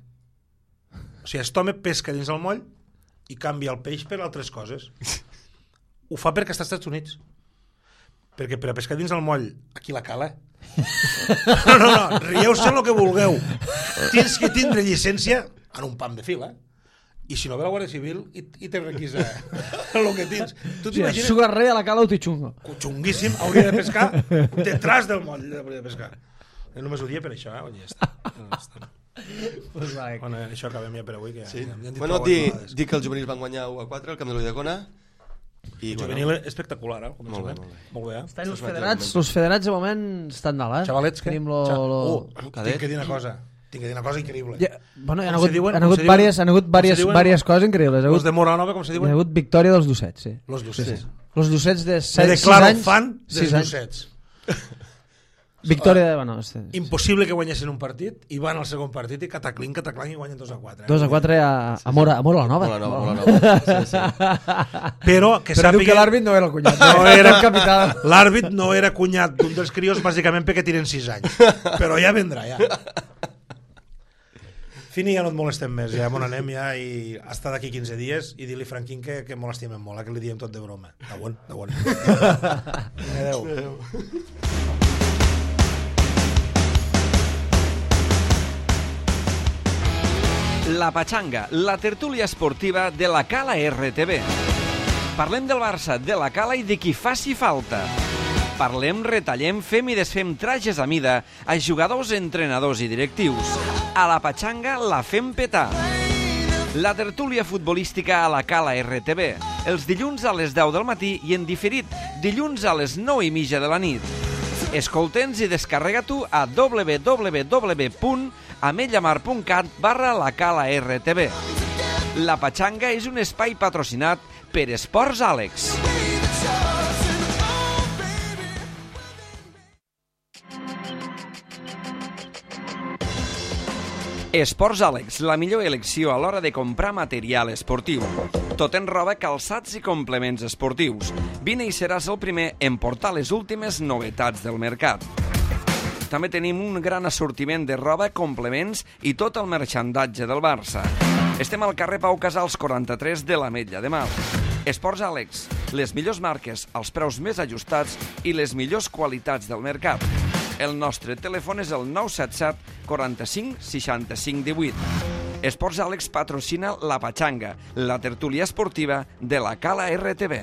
O sigui, aquest home pesca dins el moll i canvia el peix per altres coses. Ho fa perquè està als Estats Units. Perquè per a pescar dins el moll, aquí la cala. No, no, no, rieu-se el que vulgueu. Tens que tindre llicència en un pam de fil, eh? I si no ve la Guàrdia Civil i, i te requisa el que tens. Tu Sí, t'imagines? Sugar Ray a la cala o Tichungo. Xunguíssim, hauria de pescar detrás del moll, hauria de pescar. Jo només ho dia per això, eh? Oye, ja està. Ja està. Pues va, eh. Bueno, això acabem ja per avui, que Sí. ja, ja hem dit Bueno, prou di, animades. di que els juvenils van guanyar u a quatre al camp de l'Uidecona i El juvenil és espectacular, eh? Molt bé, molt bé. Molt bé, eh? Estan els Això és federats, un els federats de moment estan dalt, eh? Xavalets, què? Tenim lo... Xa- lo... Uh, Cadet. tinc que dir una cosa. Tinc que dir una cosa increïble. Ja, bueno, hi ha Com hagut, se diuen? han Com hagut, se diuen? vàries, han hagut Com se vàries, diuen? vàries coses increïbles. Ha Los hagut, de Moranova, com se hi ha diuen? hagut victòria dels dossets, sí. Los dossets. Els dossets de Me set, sis declaro anys... fan dels sis anys. dossets. Victòria de... Bueno, este, Impossible que guanyessin un partit i van al segon partit i cataclin, cataclan i guanyen dos a quatre. Eh? dos a quatre a, a Mora, a Mora la Nova. Molt nova, molt nova. Sí, sí. Però que Però diu que sàpiga... l'àrbit no era el cunyat. No era el capità. L'àrbit no era cunyat d'un dels crios bàsicament perquè tiren sis anys. Però ja vendrà, ja. Fini, ja no et molestem més, ja on anem ja i hasta d'aquí quinze dies i dir-li Franquín que, que molt l'estimem molt, que li diem tot de broma. De bon, de bon. Adéu. Adéu. La Pachanga, la tertúlia esportiva de la Cala R T V. Parlem del Barça, de la Cala i de qui faci falta. Parlem, retallem, fem i desfem trajes a mida a jugadors, entrenadors i directius. A la Pachanga la fem petar. La tertúlia futbolística a la Cala R T V. Els dilluns a les deu del matí i en diferit dilluns a les nou i mitja de la nit. Escolta'ns i descarrega-t'ho a w w w punt ametlamar punt cat barra la Cala R T V. La Pachanga és un espai patrocinat per Esports Àlex. Esports Àlex, la millor elecció a l'hora de comprar material esportiu. Tot en roba, calçats i complements esportius. Vine i seràs el primer en portar les últimes novetats del mercat. També tenim un gran assortiment de roba, complements i tot el merchandatge del Barça. Estem al carrer Pau Casals quaranta-tres de l'Ametlla de Mar. Esports Àlex, les millors marques, els preus més ajustats i les millors qualitats del mercat. El nostre telèfon és el nou set set quaranta-cinc seixanta-cinc divuit. Esports Àlex patrocina la Pachanga, la tertúlia esportiva de la Cala R T V.